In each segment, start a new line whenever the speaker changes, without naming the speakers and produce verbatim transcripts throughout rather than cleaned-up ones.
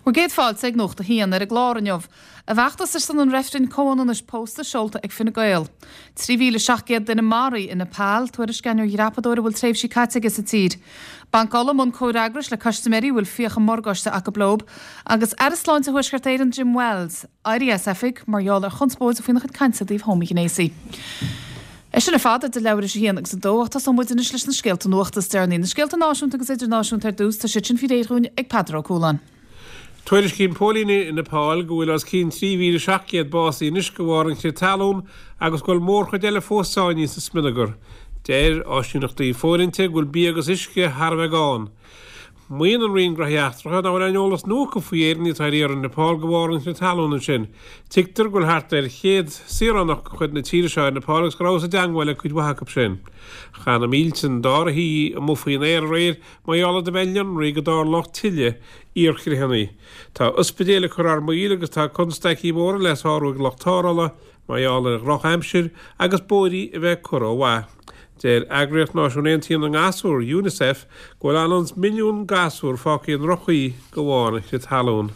Bhur gcéad fáilte ag Nuacht a hAon ar an gclár inniu. A bhfeachtas ar son an reifrinn comhionannais pósta seolta ag Fine Gael. Trí mhíle seacht gcéad duine maraithe i Nepal, tuairisc ar dhreapadóir a bhfuil tréimhsí caite aige sa tír. Banc Uladh i mbun comhfhreagrais le custaiméirí a bhfuil fiacha morgáiste acu leo, agus Aire Sláinte Thuaisceart Éireann Jim Wells, éirithe as oifig mar gheall ar chonspóid faoina chuid cainte i dtaobh homaighnéasaigh. É sin ar fad idir leathuair tar éis a haon agus a dó ach tosóidh muid anois leis na scéalta nuachta is deireanaí. Na scéalta náisiúnta agus idirnáisiúnta ar dtús tá siad sin faoi réir dúinn ag Peadar Ó Cualáin.
Tuairiscíonn póilíní i Nepal go bhfuil os cionn trí mhíle seacht gcéad básaithe anois de bharr an chrith talún agus go bhfuil mórchuid eile fós sáinnithe sa smionagar. Deir áisíneachtaí fóirithinte go bhfuil bia agus uisce thar a bheith gann. Maíonn an Roinn Gnóthaí Eachtracha nach bhfuil aon eolas nua acu faoi Éireannaigh atá ar iarraidh i Nepal de bharr an chrith talún ansin. Tuigtear go bhfuil thart ar chéad saoránach de chuid na tíre seo i Nepal agus go rabhthas i dteagmháil le cuid mhaith acu sin. Chaith na mílte d'áirithe amuigh faoin aer aréir mar gheall iad a bheith lonraithe go dtarlódh tuilleadh iarchritheanna. Tá ospidéil ag cur thar maoil agus tá constaicí móra le sárú ag lucht tarrthála mar gheall ar dhrochaimsir agus bóithrí a bheith curtha ó mhaith. Deir Eagraíocht Náisiún Aontaithe na nGasúr, UNICEF, go bhfuil anonn is milliún gasúr fágtha i ndroch-chaoi de bharr an chrith talún.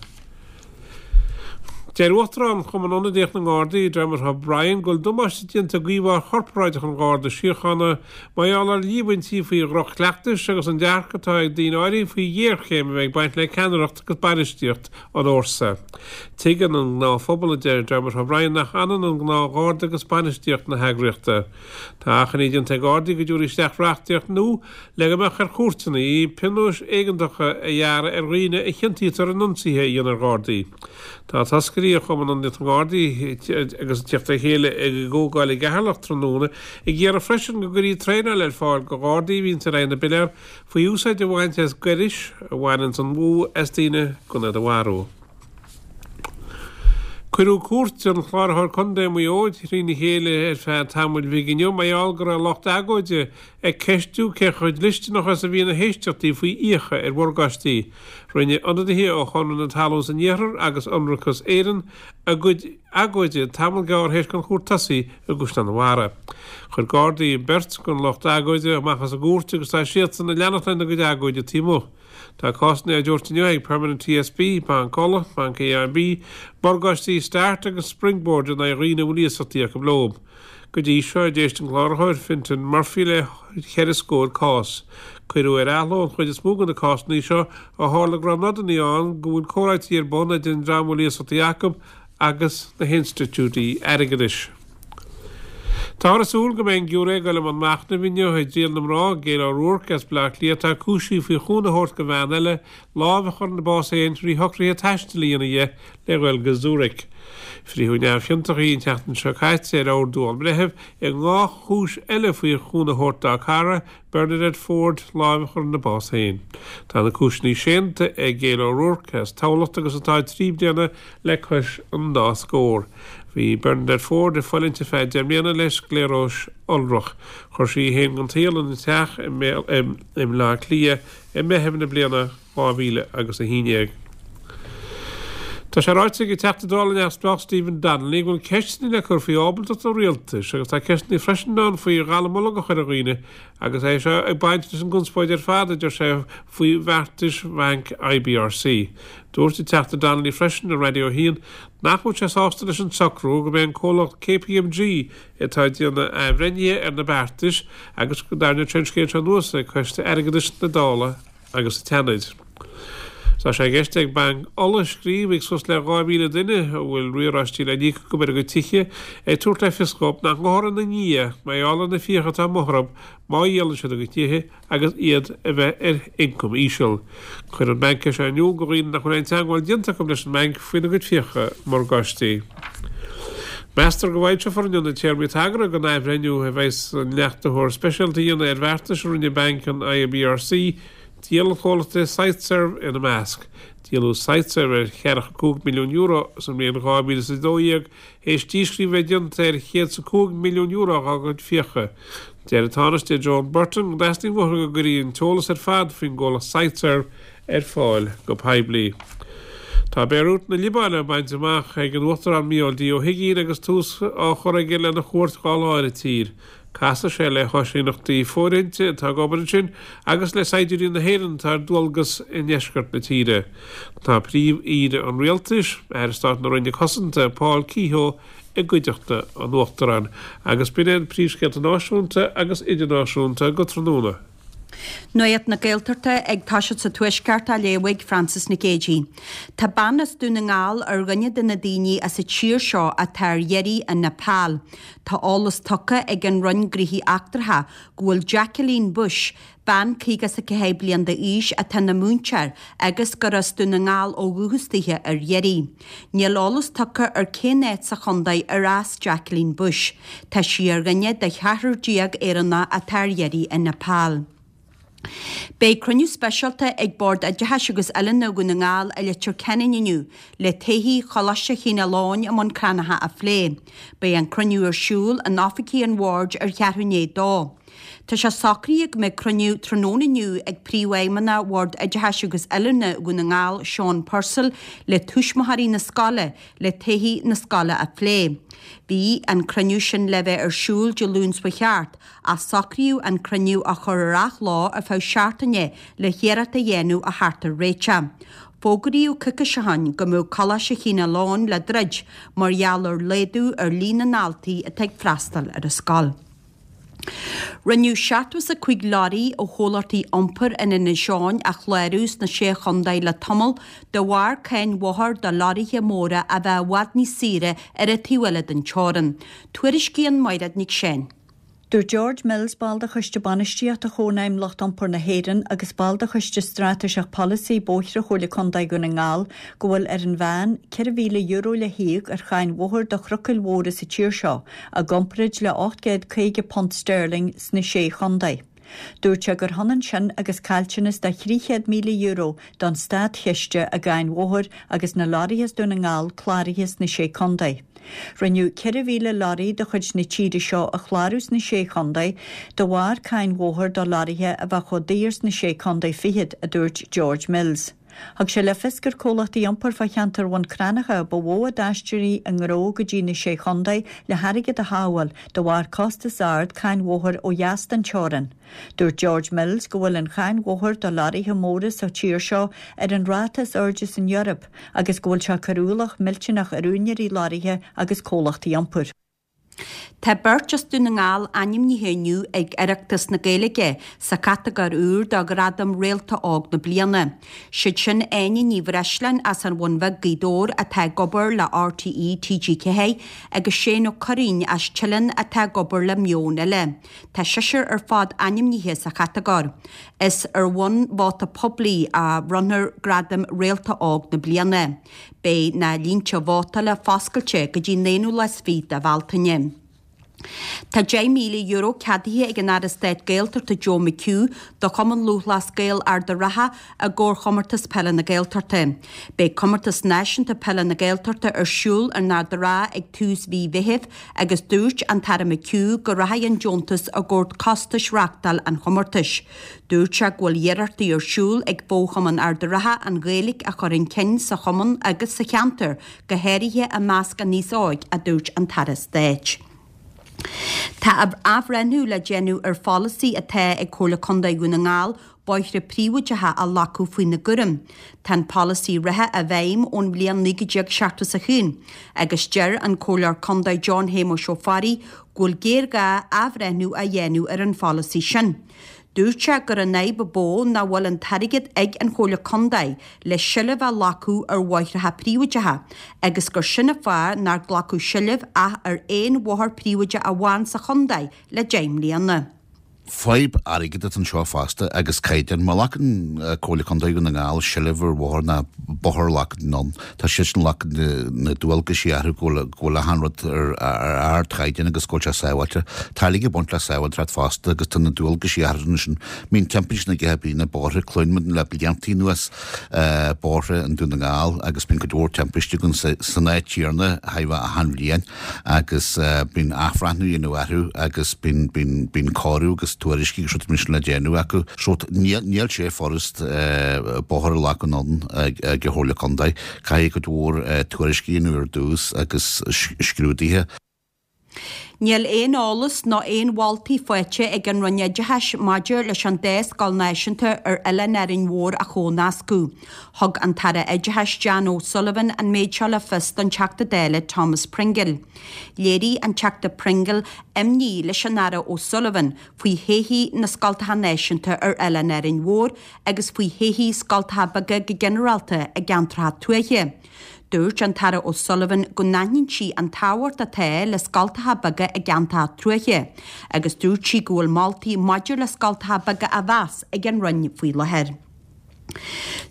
Deir Uachtarán Chumann Ionadaíoch na nGardaí, Dermot O'Brien, go bhfuil damáiste déanta d'íomhá chorparáideach an Gharda Síochána mar gheall ar líomhaintí faoi dhroch-chleachtais agus an dearcadh atá ag daoine áirithe faoi ghéarchéim a bheith ag baint le ceannaireacht agus bainistíocht an fhórsa. Tuigeann an gnáthphobal, a deir Dermot O'Brien, nach ionann an gnáthgharda agus bainistíocht na heagraíochta. Tá achainí déanta ag Gardaí go dtabharfaí isteach reachtaíocht nua le go mbeadh ar chúirteanna pionóis éigeantacha a ghearradh ar dhaoine a chiontaítear in ionsaithe a dhéanamh ar Ghardaí. Tá toscairí ó Chumann Ionadaíocht na nGardaí agus ag teacht le chéile ag an gcomhdháil i gCeatharlach tráthnóna ag iarraidh freisin go gcuirfí traenáil ar fáil do Ghardaí a bhíonns ar aghaidh na bpiléar faoi úsáid a bhaint as gairis a bhaineanns an bhfuath as daoine gan iad a mharú. Cuireadh cúirt an Chláraitheoir Contae i Maigh Eo trína chéile ar feadh tamaill bhig inniu mar gheall go raibh lucht agóide ag ceistiú cé chomh dlisteanach is a bhí na héisteachtaí faoi fhiacha ar mhorgáistí. Rinne ionadaithe ó Chonradh na Talún san Iarthar agus Ionracas Éireann a gcuid agóide tamall gearr théis don chúirt tosaí i gCaisleán an Bharraigh. Chuir Gardaí beirt den lucht agóide amach as an gcúirt agus tá siadsan ag leanacht lena gcuid agóide taobh amuigh. Tá cásanna á dtabhairt inniu ag Permanent TSB, Banc Uladh, Banc AIB, Morgáistí Start agus Springboard in aghaidh dhaoine a bhfuil iasachtaí acu leo. Go dtí seo, d'éist an Cláraitheoir, Fintan Murphy le ceithre scór cás. Cuireadh ar athló an chuid is mó de na cásanna seo ó tharla go raibh nodanna ann go bhfuil comhráití ar bun idir an dream a bhfuil iasachtaí acu agus na hinstitiúidí airgeadais. Táthar ag súil go mbeidh an giúiré ag dul i mbun machnaimh inniu i dtriail na mná, Gail O'Rourke as Baile Átha Cliath, atá cúisithe faoi chúnamh a thabhairt do bhean eile lámh a chur ina bás féin trí shocruithe taistil a dhéanamh di le dhul go Zurich. Frítheadh neamhchiontach í an tseachtain seo caite ar ordú ón mbreitheamh i ndhá chúis eile faoi chúnamh a thabhairt dá cara, Bernadette Ford, lámh a chur ina bás féin. Tá na cúiseanna séanta ag Gail O'Rourke as Tamhlacht agus atá trí bliana le cois an dá scór. Bhí Bernadette Ford ag fulaingt ar feadh deich mbliana le scléaróis iolrach. Chuir sí í féin den tsaol ina teach i mBaile Átha Cliath i Meitheamh na bliana dhá mhíle agus a haon déag. Tá sé ráite ag an Teachta Dála neamhspleách Stephen Donnelly go bhfuil ceisteanna le cur faoi ábaltacht an rialtais agus tá ceisteanna freisin ann faoi dhallamullóg a chur ar dhaoine agus é seo ag baint leis an gconspóid ar fad, a deir sé, faoi bheartais bhanc IBRC. Dúirt an Teachta Donnelly freisin ar Raidió a haon nach bhfuil sé sásta leis an socrú go mbeidh an comhlacht KPMG atá ag déanamh athbhreithnithe ar na beartais agus go dtarraingeodh sé an scéal seo anuas ag Coiste Airgeadais na Dála agus an tSeanaid. Tá sé i gceist ag Banc Uladh scríobh ag suas le dhá mhíle duine a bhfuil riaráistí le n-íoc acu ar a gcuid tithe, ag tabhairt le fios dhóibh nach ngabhfar ina ndiaidh mar gheall ar na fiacha atá amuigh orthu má dhíolann siad a gcuid tithe agus iad a bheith ar ioncam íseal. Chuir an banc é seo in iúl do dhaoine nach bhfuil aon teagmháil déanta acu leis an mbanc faoina gcuid fiacha morgáistí. Meastar go bhfoilseofar inniu na téarmaí tagartha don athbhreithniú a bheas an leachtaitheoir speisialta a dhéanamh ar bheartais a rinne banc an IBRC, díol an chomhlachta Siteserv ina measc. Díoladh Siteserv ar cheathracha cúig milliún euro sa mbliain dhá mhíle is a dó dhéag théis díscríobh a bheith déanta ar chéad is a cúig milliún euro dá gcuid fiacha. Deir an Tánaiste Joan Burton go dteastaíonn uathu go gcuirfí an t-eolas ar fad faoin gcomhlacht Siteserv ar fáil go poiblí. Tá Béiriút na Liobáine bainte amach ag an Uachtarán Micheál D. Ó hUigínn agus tús á chur aige lena chuairt dhá lá ar an tír. Casfaidh sé le háisíneachtaí fóirithinte atá ag obair ansin agus le saighdiúirí na hÉireann atá ar dualgas i ndeisceart na tíre. Tá Príomh-Aoire an Rialtais, Aire Stáit na Roinne Cosanta, Paul Kehoe, i gcuideachta an Uachtaráin. Agus b'in iad príomhscéalta náisiúnta agus idirnáisiúnta go tráthnóna.
Nuacht na Gaeltachta ag toiseacht sa Tuaisceart á léamh ag Frances Nic Géadaigh. Tá bean as Dún na nGall ar dhuine de na daoine as an tír seo atá ar iarraidh i Nepal. Tá eolas tugtha ag an Roinn Gnóthaí Eachtracha go bhfuil Jacqueline Bush, bean caoga is a ceathair bliain d'aois atá ina múinteoir agus gur as Dún na nGall ó dhúchas dithe ar iarraidh. Níl eolas tugtha ar cén áit sa chontae ar as Jacqueline Bush. Tá sí ar dhuine de cheathrar déag Éireannach atá ar iarraidh i Nepal. Beidh cruinniú speisialta ag Bord Oideachais agus Oiliúna Dhún na nGall i Leitir Ceanainn inniu le todhchaí Choláiste Chineál Eoghain i mBun Cranncha a phlé. Beidh an cruinniú ar siúl in oifigí an bhoird ar cheathrú i ndiaidh a dó. Tá sé socraithe go mbeidh cruinniú tráthnóna inniu ag Príomhfheidhmeannach Bhord Oideachais agus Oiliúna Dhún na nGall, Seán Purcell, le tuismitheoirí na scoile le todhchaí na scoile a phlé. Bhí an cruinniú sin le bheith ar siúl Dé Luain seo chuaigh thart ach socraíodh an cruinniú a chur ar athlá ar feadh seachtaine le hiarracht a dhéanamh a theacht ar réiteach. Fógraíodh coicís ó shin go mbeadh Coláiste Chineál Eoghain le druid mar gheall ar laghdú ar líon na ndaltaí atá ag freastal ar an scoil. Rinneadh seachtó is a cúig leoraí ó chomhlachtaí iompair in Inis Eoghain a chlárú sna Sé Chontae le tamall de bharr cáin bhóthair do leoraithe móra a bheith i bhfad níos saoire ar an taobh eile den teorainn. Tuairiscíonn Mairéad Nic Seáin.
Dúirt George Mills, ball de Choiste Bainistíochta Chónaidhm Lucht Iompair na hÉireann agus ball de Choiste Straitéiseach Polasaí Bóithre Chomhairle Contae Dhún na nGall, go bhfuil ar an mheán ceithre mhíle euro le híoc ar cháin bhóthair do thrucail mhóra sa tír seo, i gcomparáid le ocht gcéad caoga punt sterling sna Sé Chontae. Dúirt sé gur hionann sin agus caillteanas de thrí chéad míle euro don státchiste i gcáin bhóthair agus na leoraithe as Dún na nGall cláraithe sna Sé Chontae. Rinneadh ceithre mhíle leoraí de chuid na tíre seo a chlárú sna Sé Chontae de bharr cáin bhóthair do leoraithe a bheith chomh daor sna Sé Chontae fichead, a dúirt George Mills. Thug sé le fios gur comhlachtaí iompair fá cheantar Bhun Cranncha ba mhó a d'aistrigh a ngnó go dtí na Sé Chontae le hairgead a shábháil de bharr costas ard cáin bhóthair ó dheas den teorainn. Dúirt George Mills go bhfuil an cháin bhóthair do leoraithe móra sa tír seo ar an ráta is airde san Eoraip agus go bhfuil sé ag cur ualach millteanach ar úinéirí leoraithe agus comhlachtaí iompair.
Tá beirt as Dún na nGall ainmnithe inniu ag Oireachtas na Gaeilge sa chatagóir úr do Ghradam Réalta Óg na Bliana. Siad sin Áine Ní Bhreisleáin as an Bhun Bheag, Gaoth Dobhair atá ag obair le RTÉ TG Ceathair agus Shane Ó Curraoin as Teileann atá ag obair le Meon Eile. Tá seisear ar fad ainmnithe sa chatagóir. Is ar bhonn vóta poiblí a bhronnfar Gradam Réalta Óg na Bliana. Beidh na línte vótála foscailte go dtí an aonú lá is fiche de Bhealtaine. Tá deich míle euro ceadaithe ag an Aire Stáit Gaeltachta Joe McHugh do Chumann Lúthchleas Gael Ard an Rátha i gcomhair Chomórtas Peile na Gaeltachta. Beidh Comórtas Náisiúnta Peile na Gaeltachta ar siúl in Ard an Rátha ag tús mhí Mheithimh agus dúirt an tAire McHugh go rachaidh an deontas i gcomhair costais reáchtáil an chomórtais. Dúirt sé go bhfuil iarrachtaí ar siúl ag Fo-Chumann Ard an Rátha an Ghaeilge a chur chun cinn sa chumann agus sa cheantar, go háirithe i measc an aos óig, a dúirt an tAire Stáit. Tá athbhreithniú le déanamh ar pholasaí atá ag Comhairle Contae Dhún na nGall bóithre príobháideacha a ghlacadh faoina gcúram. Tá an polasaí reatha i bhfeidhm ón bhliain naoi déag seachtó is a haon agus deir an Comhairleoir Contae John Shéamuis Ó Fearraigh go bhfuil géarghá athbhreithniú a dhéanamh ar an pholasaí sin. Dúirt sé gur an fhadhb ba mhó nach bhfuil an t-airgead ag an Chomhairle Contae le seilbh a ghlacadh ar bhóithreacha príobháideacha agus gur sin an fáth nár glacadh seilbh ach ar aon bhóthar príobháideach amháin sa chontae le deich mbliana.
Fadhb airgid atá anseo fosta agus caighdeán. Má ghlacann Comhairle Contae Dhún na nGall seilbh ar bhóthar ná bóthar a ghlacadh anonn, tá siadsan ag glacadh na dualgaisí orthu go bhfuil go bhfuil achan rud ar ardchaighdeán agus go bhfuil sé sábháilte. Tá airgead ag baint le sábháilteacht fosta agus tá na dualgaisí orthu ansin. Bíonn timpistí na gceithre bliana bóithre, cluineann muid le blianta anuas bóithre i nDún na nGall agus bíonn cuid mhór timpistí againn san áit chéanna achan bhliain agus bíonn athbhreithniú á dhéanamh orthu agus bíonn bíonn bíonn cóiriú agus tuairiscí agus rudaí mar sin le déanamh acu. So níl sé furast bóthar a ghlacadh anonn ag an Chomhairle Contae. Caithfidh cuid mhór tuairiscí a dhéanamh ar dtús agus scrúduithe.
Níl aon eolas ná aon mholtaí faighte ag an Roinn Oideachais maidir leis an dá scoil náisiúnta ar Oileán Árainn Mhór a chomhnascadh. Thug an tAire Oideachais Jan O'Sullivan an méid seo le fios don Teachta Dála Thomas Pringle. Léirigh an Teachta Pringle imní leis an Aire O'Sullivan faoi thodhchaí na scoltacha náisiúnta ar Oileán Árainn Mhór agus faoi thodhchaí scoltacha beaga go ginearálta i gceantracha tuaithe. Dúirt an tAire O'Sullivan go n-aithníonn sí an tábhacht atá le scoltacha beaga i gceantracha tuaithe, agus dúirt sí go bhfuil moltaí maidir le scoltacha beaga á mheas ag an Roinn faoi láthair.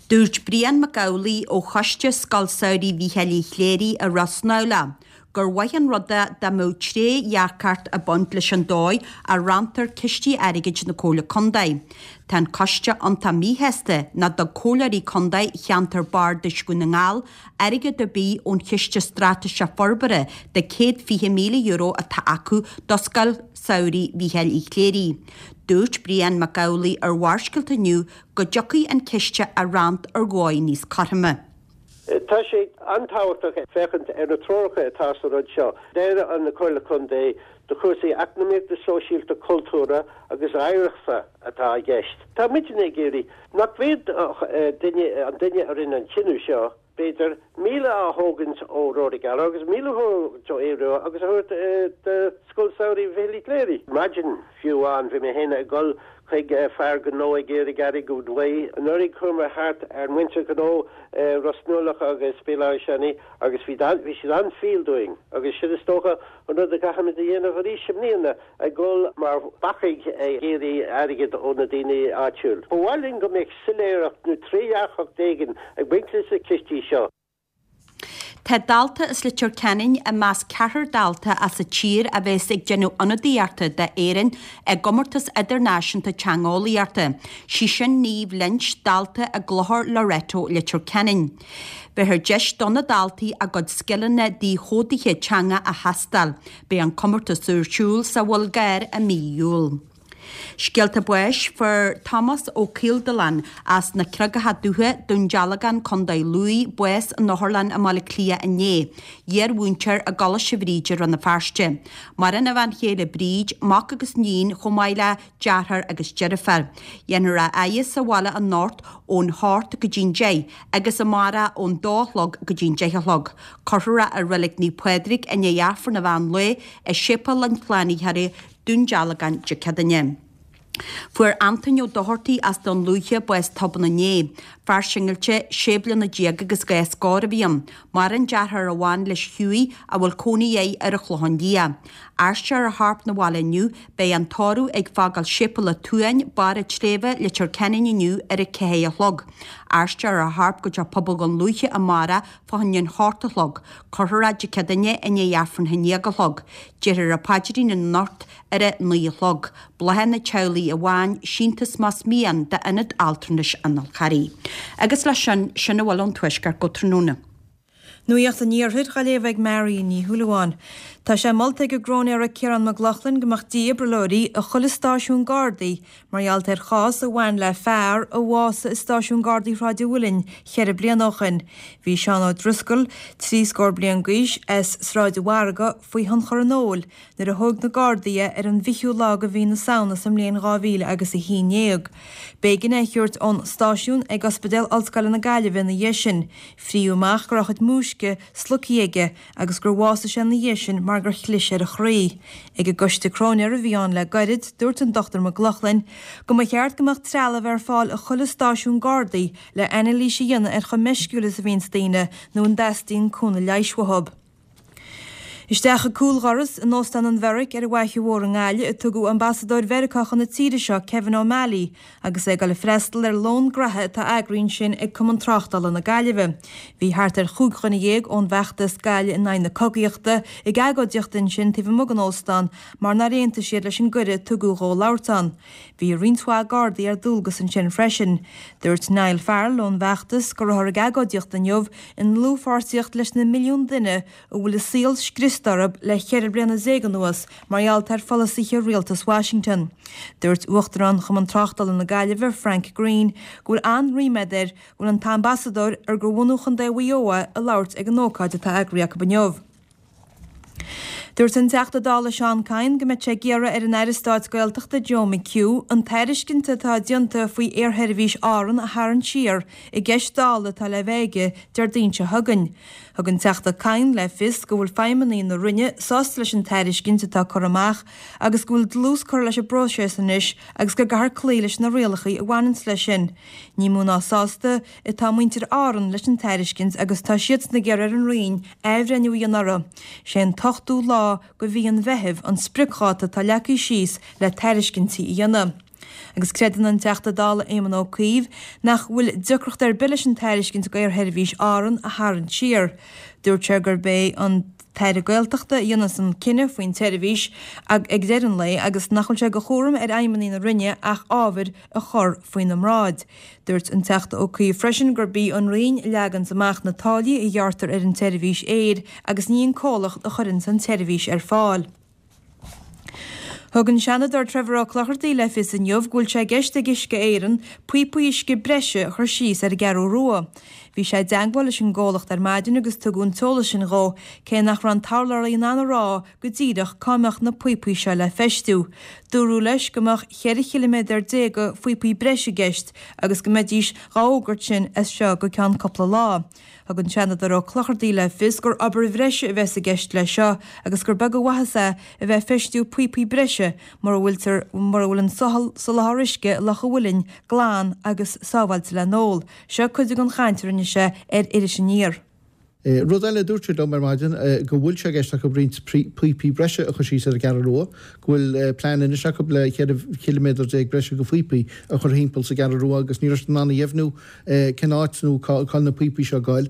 Dúirt Brian Mac Amhlaigh ó Choiste Scoil Samhraidh Mhícheáil Uí Chléirigh i Ros nAmhlaigh gur mhaith an rud é dá mbeadh trédhearcacht ag baint leis an dóigh a ranntar cistí airgid na Comhairle Contae. Tá an coiste iontach míshásta nach dtug comhairleoirí contae cheantar bardais Dhún na nGall airgead ar bith ón Chiste Straitéiseach Forbartha de céad fiche míle euro atá acu do Scoil Samhraidh Mhícheáil Uí Chléirigh. Dúirt Brian Mac Amhlaigh ar Bharrscéalta inniu go dtiocfaidh an ciste a roinnt ar dhóigh níos cothroime.
Tá sé an-tábhachtach féachaint ar na treoracha atá sa rud seo. Deir an Chomhairle Contae do chúrsaí eacnamaíochta, sóisialta, cultúrtha agus oidhreachta atá i gceist. Tá muidne ag iarraidh nach bhféadfadh duine, an duine a rinne an cinneadh seo, b'fhéidir, míle a thógaint ó Rory Gallagher agus míle a thógaint ó Aodh Rua agus a thabhairt do Scoil Samhraidh Mhichíl Uí Chléirigh. Maidin fiú amháin bhí mé féin ag dul chuig fear gnó ag iarraidh airgead uaidh. Anuraidh chuamar thart ar mhuintir gnó Ros Nuallach agus Béal Átha Seanaidh agus bhí bhí siad an-fhial dúinn agus sin is dócha an rud a gcaithfimid a dhéanamh arís i mbliana, ag dul mar bhacaigh ag iarraidh airgead ó na daoine áitiúil. Ba mhaith linn go mbeadh soiléireacht nó trédhearcacht éigin ag baint leis na cistí seo.
Tá dalta as Leitir Ceanainn i measc ceathrar dalta as an tír a bheas ag déanamh ionadaíochta d'Éirinn i gcomórtas idirnáisiúnta teangeolaíochta, sí sin Niamh Lynch, dalta i gClochar Loreto, Leitir Ceanainn. Beifear deis do na daltaí a gcuid scileanna díchódaithe teanga a thástáil. Beidh an comórtas ar siúl sa Bhulgáir i mí Iúil. Scéalta báis, Fuair Tomás Ó Caoldealáin as na Creagacha Dubha, Dún Dealgán, Contae Lú, bás in otharlann i mBaile Átha Cliath inné. Iar-mhúinteoir i gColáiste Bhríde, Rann na Feirste. Maireann a bhean chéile Bríd, mac agus níon chomh maith le deartháir agus deirfiúr. Dhéanfar a fhaire sa bhaile anocht ón hocht go dtí'n deich agus amárach ón dó a chlog go dtí'n deich a chlog. Cuirfear é i Reilig Naomh Pádraig i ndiaidh Aifreann an mheán lae i Séipéal an tSlánaitheora, Dún Dealgán, Dé Céadaoine. Fuair Antoin Ó Dochartaigh as Dún Lúiche bás tobann inné. Fear singilte, sé bliana déag agus dhá scór a bhí ann. Maireann deartháir amháin leis Hughie a bhfuil cónaí air ar an Chlochán Liath. Aistreofar a chorp 'na bhaile inniu, beidh an tórramh ag fágáil Séipéal an tSuain, Barr an tSléibhe, Leitir Ceanainn inniu ar a ceathair a chlog. Aistreofar a chorp go dtí Pobal Dhún Lúiche amárach fá choinne an hocht a chlog. Cuirfear é Dé Céadaoine i ndiaidh Aifreann a haon déag a chlog. Déarfar an paidrín anocht ar a naoi a chlog. Bláthanna teaghlaigh amháin, síntiús más mian d'Ionad Altranais an Fhál Charraigh. Agus leis sin, sin a bhfuil ón Tuaisceart go tráthnóna.
Nuacht an Iarthair á léamh ag Mary Ní Shúilleabháin. Tá sé molta ag an gCróinéara Ciarán Mac Lochlainn go mbeadh dífhibrileoirí i chuile stáisiún Gardaí mar gheall ar chás a bhain le fear a bhásaigh i stáisiún Gardaí Shráid an Mhuilinn cheithre bliana ó shin. Bhí Seán Ó Drisceoil, trí scór bliain d'aois, as Sráid an Mhargaidh, faoi thionchar an óil nuair a thóg na Gardaí é ar an bhfichiú lá de mhí na Samhna sa mbliain dhá mhíle agus a haon déag. B'éigean é a thabhairt ón stáisiún ag Ospidéal Ollscoile na Gaillimhe ina dhiaidh sin. Fríodh amach go raibh a chuid múisce slogtha aige agus gur bhásaigh sé ina dhiaidh sin mar gur chlis ar a chroí. Ag an gcoiste cróinéara a bhí ann le gairid, dúirt an Dochtúir Mac Lochlainn go mba cheart go mbeadh trealamh ar fáil i chuile stáisiún Gardaí le anailís a dhéanamh ar chomh meisciúil is a bhíonns daoine nó an dteastaíonn cúnamh leighis uathu. Isteach an cúldhoras in Óstán an Bheairic ar an bhFaiche Mhór i nGaillimh a tugadh Ambasadóir Mheiriceá chun na tíre seo, Kevin O'Malley, agus é ag dul ag freastal ar lón graithe atá eagraithe ansin ag Cumann Tráchtála na Gaillimhe. Bhí thart ar chúig dhuine dhéag ón bhfeachtas Gaillimh in aghaidh na Cogaíochta ag agóidíocht ansin taobh amuigh den óstán mar nár aontaigh siad leis an gcuireadh a tugadh dhó labhairt ann. Bhí roinnt mhaith Gardaí ar dualgas ansin freisin. Dúirt Niall Farrell ón bhfeachtas go rabhthar ag agóidíocht inniu i ndlúthpháirtíocht leis na milliúin duine a bhfuil a saol scriosta orthu le ceithre bliana déag anuas mar gheall ar pholasaithe rialtas Washington. Dúirt Uachtarán Chumann Tráchtála na Gaillimhe, Frank Greene, go bhfuil an-ríméad air go bhfuil an t-ambasadóir, ar de bhunadh Chontae Mhaigh Eo é, ag labhairt ag an ócáid atá eagraithe acu inniu. Dúirt an Teachta Dála Seán Kyne go mbeidh sé ag iarraidh ar an Aire Stáit Gaeltachta Joe McHugh an tairiscint atá déanta faoi aersheirbhís Árann a tharraingt siar i gceist Dála atá le bheith aige Déardaoin seo chugainn. Thug an Teachta Kyne le fios go bhfuil feidhmeannaigh na Roinne sásta leis an tairiscint atá curtha amach agus go bhfuil dlús curtha leis an bpróiseas anois agus go gcaithfear cloí leis na rialacha a bhaineanns leis sin. Ní mó ná sásta atá muintir Árann leis an tairiscint agus tá siadsan ag iarraidh ar an Roinn athbhreithniú a dhéanamh uirthi. Sé an t-ochtú lá de mhí an Mheithimh an spriocdháta atá leagtha síos le tairiscintí a dhéanamh. Agus creideann an Teachta Dála Éamon Ó Cuív nach bhfuil deacracht ar bith leis an tairiscint d'Aersheirbhís Árann a tharraingt siar. Dúirt sé gurb é an tAire Gaeltachta a dhéanfas an cinneadh faoin tseirbhís ag deireadh an lae agus nach bhfuil sé de chúram ar fheidhmeannaigh na Roinne ach ábhair a chur faoina mbráid. Dúirt an Teachta Ó Cuív freisin gurb í an Roinn a leaganns amach na táillí a ghearrtar ar an tseirbhís aeir agus ní an comhlacht a chuireanns an tseirbhís ar fáil. Thug an Seanadóir Trevor Ó Clochartaigh le fios inniu go bhfuil sé i gceist ag Uisce Éireann píopaí uisce breise a chur síos ar an gCeathrú Rua. Bhí sé i dteagmháil leis an gcomhlacht ar maidin agus tugadh an t-eolas sin dhó, cé nach raibh an t-urlabhraí in ann a rá go díreach cá mbeadh na píopaí seo le feistiú. Dúradh leis go mbeadh cheithre chiliméadar déag de phíopaí breise i gceist agus go mbeidís dhá fhógairt sin as seo go ceann cúpla lá. Thug an Seanadóir Ó Clochartaigh le fios gur obair bhreise a bheas i gceist leis seo agus gur beag an mhaitheas é a bheith ag feistiú píopaí breise mura bhfuiltear mura bhfuil an soláthar uisce i Loch an Mhuilinn glan agus sábháilte le n-ól. Seo cuid den chaint a rinne sé ar Iris Aniar.
Rud eile a dúirt siad liom ar maidin, go bhfuil sé i gceist acu roinnt píopaí breise a chur síos ar an gCeathrú Rua, go bhfuil plean anois acu le ceithre chiliméadar déag breise de phíopaí a chur thimpeall sa gCeathrú Rua agus ní raibh siad in ann a dheimhniú cén áit nó cá bhfuil na píopaí seo ag goil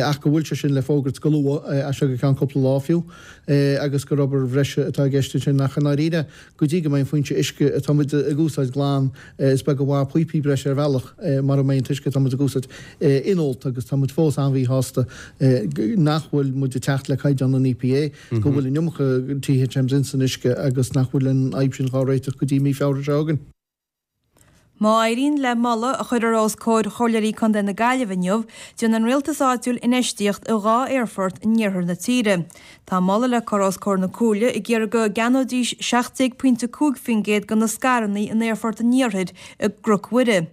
ach go bhfuil sé sin le fógairt go luath, as seo go ceann cúpla lá fiú, agus gur obair bhreise atá i gceist ansin ach i ndáiríre go dtí go mbeidh an foinse uisce atá muid ag úsáid glan is beag an mhaith píopaí breise ar bhealach mura mbeidh an t-uisce atá muid ag úsáid inólta agus tá muid fós an-mhíshásta nach bhfuil muid ag teacht le caighdeán an EPA, go bhfuil an iomarca THMs ins an uisce agus nach bhfuil an fhadhb sin dhá réiteach go dtí mí Feabhra seo chugainn.
Má éiríonn le moladh a chuirfear os comhair Chomhairleoirí Contae na Gaillimhe inniu, déanfaidh an rialtas áitiúil infheistíocht i dhá aerfort in iarthar na tíre. Tá moladh le cur os comhair na Comhairle ag iarraidh go gceannóidís seacht déag pointe cúig faoin gcéad de na scaireanna in Aerfort an Iarthair i gCnoc Mhuire.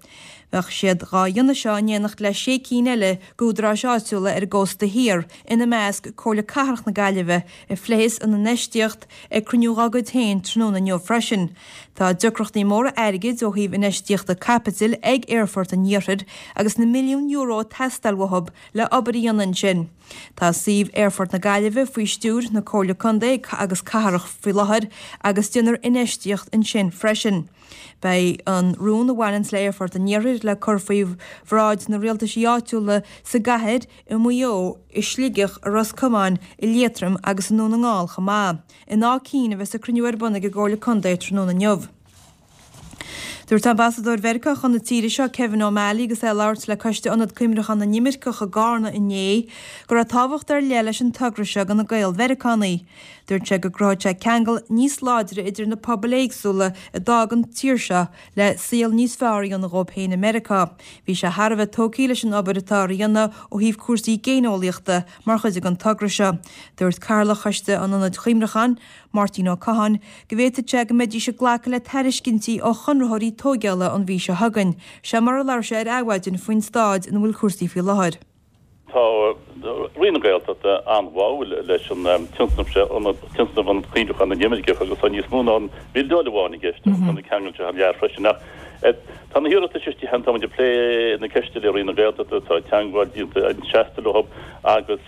Bheadh siad dhá dhéanamh seo in éineacht le sé cinn eile d'údaráis áitiúla ar an gcósta thiar, ina measc Comhairle Cathrach na Gaillimhe, a phléifeas an infheistíocht ag cruinniú dá gcuid féin tráthnóna inniu freisin. Tá deacrachtaí móra airgid ó thaobh infheistíochta caipitil ag Aerfort an Iarthair agus na milliúin euro ag teastáil uathu le obair a dhéanamh ansin. Tá suíomh Aerfort na Gaillimhe faoi stiúir na Comhairle Contae agus Cathrach faoi láthair agus déanfar infheistíocht ansin freisin. Beidh an rún a bhaineanns le Aerfort an Iarthair le cur faoi bhráid na rialtaisí áitiúla sa gcathair, i Maigh Eo, i Sligeach, i Ros Comáin, i Liatroim agus i nDún na nGall chomh maith. In Áth Cinn a bheas an cruinniú ar bun ag an gComhairle Contae tráthnóna inniu. Dúirt Ambasadóir Mheiriceá chun na tíre seo, Kevin O'Malley, agus é ag labhairt le Coiste Ionad Cuimhneacháin na nImirceach i gCarna inné, go raibh tábhacht ar leith leis an togra seo do na Gael-Mheiriceánaigh. Dúirt sé go gcruthódh sé ceangal níos láidre idir na pobail éagsúla a d'fhág an tír seo le saol níos fearr a dhéanamh dhóibh féin i Meiriceá. Bhí sé thar a bheith tógtha leis an obair atá á dhéanamh ó thaobh cúrsaí géineolaíochta mar chuid den togra seo. Dúirt Cathaoirleach Choiste an Ionaid Chuimhneacháin, Máirtín Ó Catháin, go bhféadfadh sé go mbeidís ag glacadh le tairiscintí ó chonraitheoirí tóigeála an mhí seo chugainn. Seo mar a labhair sé ar Adhmhaidin faoin staid ina bhfuil cúrsaí faoi láthair.
Tá Roinn na Gaeltachta an-bháúil leis an tionscnamh seo, Tionscnamh Ionad Cuimhneacháin na nImirceach, agus tá níos mó ná an bhildeáil amháin i gceist agus tá na ceangail seo thar lear freisin. Ach tá na hiarratais istigh cheana, tá muid ag plé na ceiste le Roinn na Gaeltachta, tá teagmháil déanta seasta leo agus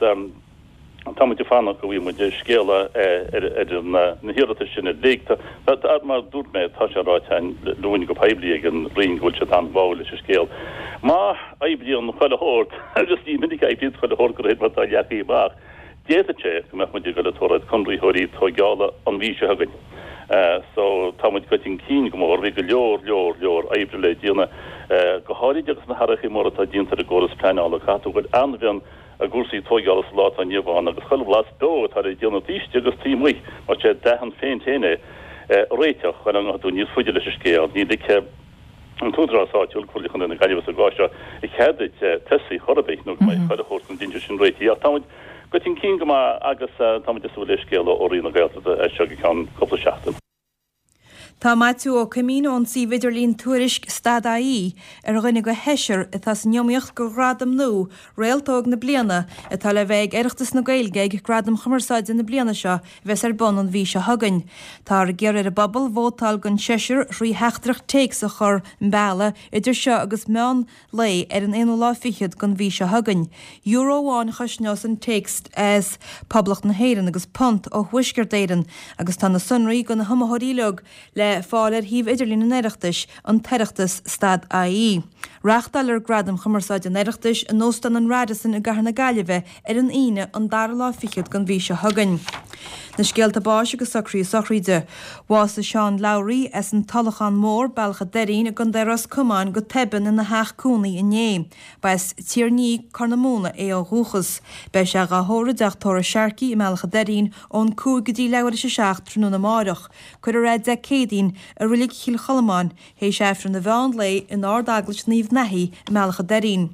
tá muid ag fanacht go bhfaighidh muid scéala ar na hiarratais sin uilig. Mar a dúirt mé, tá sé ráite linn go poiblí ag an Roinn go bhfuil siad an-bháúil leis an scéal. Má oibríonn chuile shórt, agus ní minic a oibríonn chuile shórt de réir mar atá leagtha amach, d'fhéadfadh sé go mbeadh muid ag dul ag tabhairt conraitheoirí tóigeála an mhí seo chugainn. So tá muid goite chun cinn go mór. Bhí go leor, leor, leor oibre le déanamh, go háirid agus na hathruithe móra atá déanta ar an gcóras pleanála. Caithfidh tú a ghoil an-mhion i gcúrsaí tóigeála sa lá atá inniu ann agus chuile bhlas beo atá le déanamh taobh istigh agus taobh amuigh mar sé d'aithin féin féin é a réiteach chun go ngabhfaidh tú níos faide leis an scéal. Ní ligfidh an t-údarás áitiúil, Comhairle Chontae na Gaillimhe sa gcás seo, cead duit tosaí chor ar bith nó go mbeidh chuile shórt den dainséar sin réitithe. Ach tá muid Gabh chun cinn go maith agus táimid ag súil le scéala ó Roinn na Gaeltachta as seo go ceann cúpla seachtain.
Tá Maitiú Ó Coimín ón suíomh idirlín Tuairisc stad AE ar dhuine de sheisear atá san iomaíocht do ghradam nua Réalt Óg na Bliana atá le bheith ag Oireachtas na Gaeilge ag Gradaim Chumarsáide na bliana seo a bheas ar bun an mhí seo chugainn. Táthar ag iarraidh ar an bpobal vótáil don seisear thrí theachtaireacht téacs a chur an bealach idir seo agus meán lae ar an aonú lá fichead den mhí seo chugainn. Euro amháin a chosnós an téacs as Poblacht na hÉireann agus punt ó Thuaisceart Éireann agus tá na sonraí do na hiomaitheoirí uilig le fáil ar shuíomh idirlín an Oireachtais, an tOireachtas stad AE. Reáchtáilfear Gradaim Chumarsáide an Oireachtais in Óstán an Radisson i gCathair na Gaillimhe ar an Aoine an dara lá fichead den mhí seo chugainn. Na scéalta báis agus socruithe sochraide. Bhásaigh Seán Lowry as an Tulachán Mór, Bealach an Doirín i gContae Ros Comáin go tobann ina theach cónaí inné. Ba as Tír an Fhia, Corr na Móna é ó dhúchas. Beidh sé dhá thórramh i dteach tórraimh Sharkey i mBealach an Doirín ón cúig go dtí leathuair théis a seacht tráthnóna amáireach. Cuirfear é Dé Céadaoin i Reilig Chill Cholmáin théis Aifreann an mheán lae in Ard-Eaglais Naomh Naithí i mBealach an Doirín.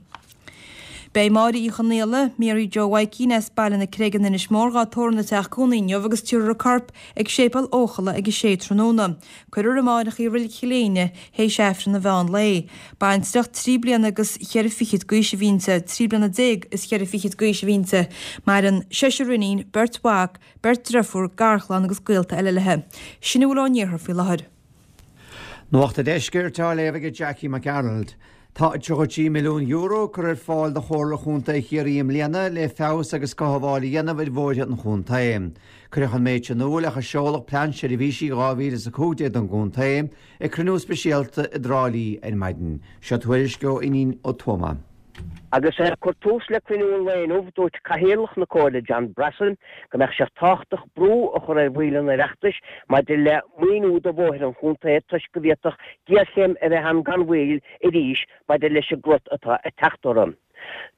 Beidh Máire Uí Chonaola, Mary Joe Mhaidhcín as Baile na Creige in Inis Mór dhá tórramh ina teach cónaí inniu agus tabharfar a corp ag Séipéal Eochalla ag a sé tráthnóna. Cuirfear amáireach í i Reilig Chill Éinne théis Aifreann an mheán lae. Baintreach trí bliana agus cheithre fichid d'aois a bhí inti, trí bliana déag is cheithre fichid d'aois a bhí inti. Maireann seisear iníon, beirt mhac, beirt driofúr, garchlann agus gaolta eile léi. Sin a bhfuil ón iarthar faoi láthair.
Nuacht an Deiscirt á léamh ag Jackie Mac Gearailt. Tá tríocha trí milliún euro curtha ar fáil do Chomhairle Chontae Chiarraí i mbliana le feabhas agus cothabháil a dhéanamh ar bhóithre an chontae. Cuireadh an méid sin in iúl ach a seoladh Plean Seirbhísí dhá mhíle is a cúig déag don gcontae ag cruinniú speisialta i dTrá Lí ar maidin. Seo tuairisc ó Fhínín Ó Tuama.
Agus é ag cur tús le cruinniú an lae inniu, dúirt Cathaoirleach na Comhairle John Brassil go mbeadh sé tábhachtach brú a chur ar bhaill an Oireachtais maidir le maoiniú do bhóithre an chontae toisc go bhféadfadh géarchéim a bheith ann gan mhoill arís maidir leis an gcrot atá ag teacht orthu.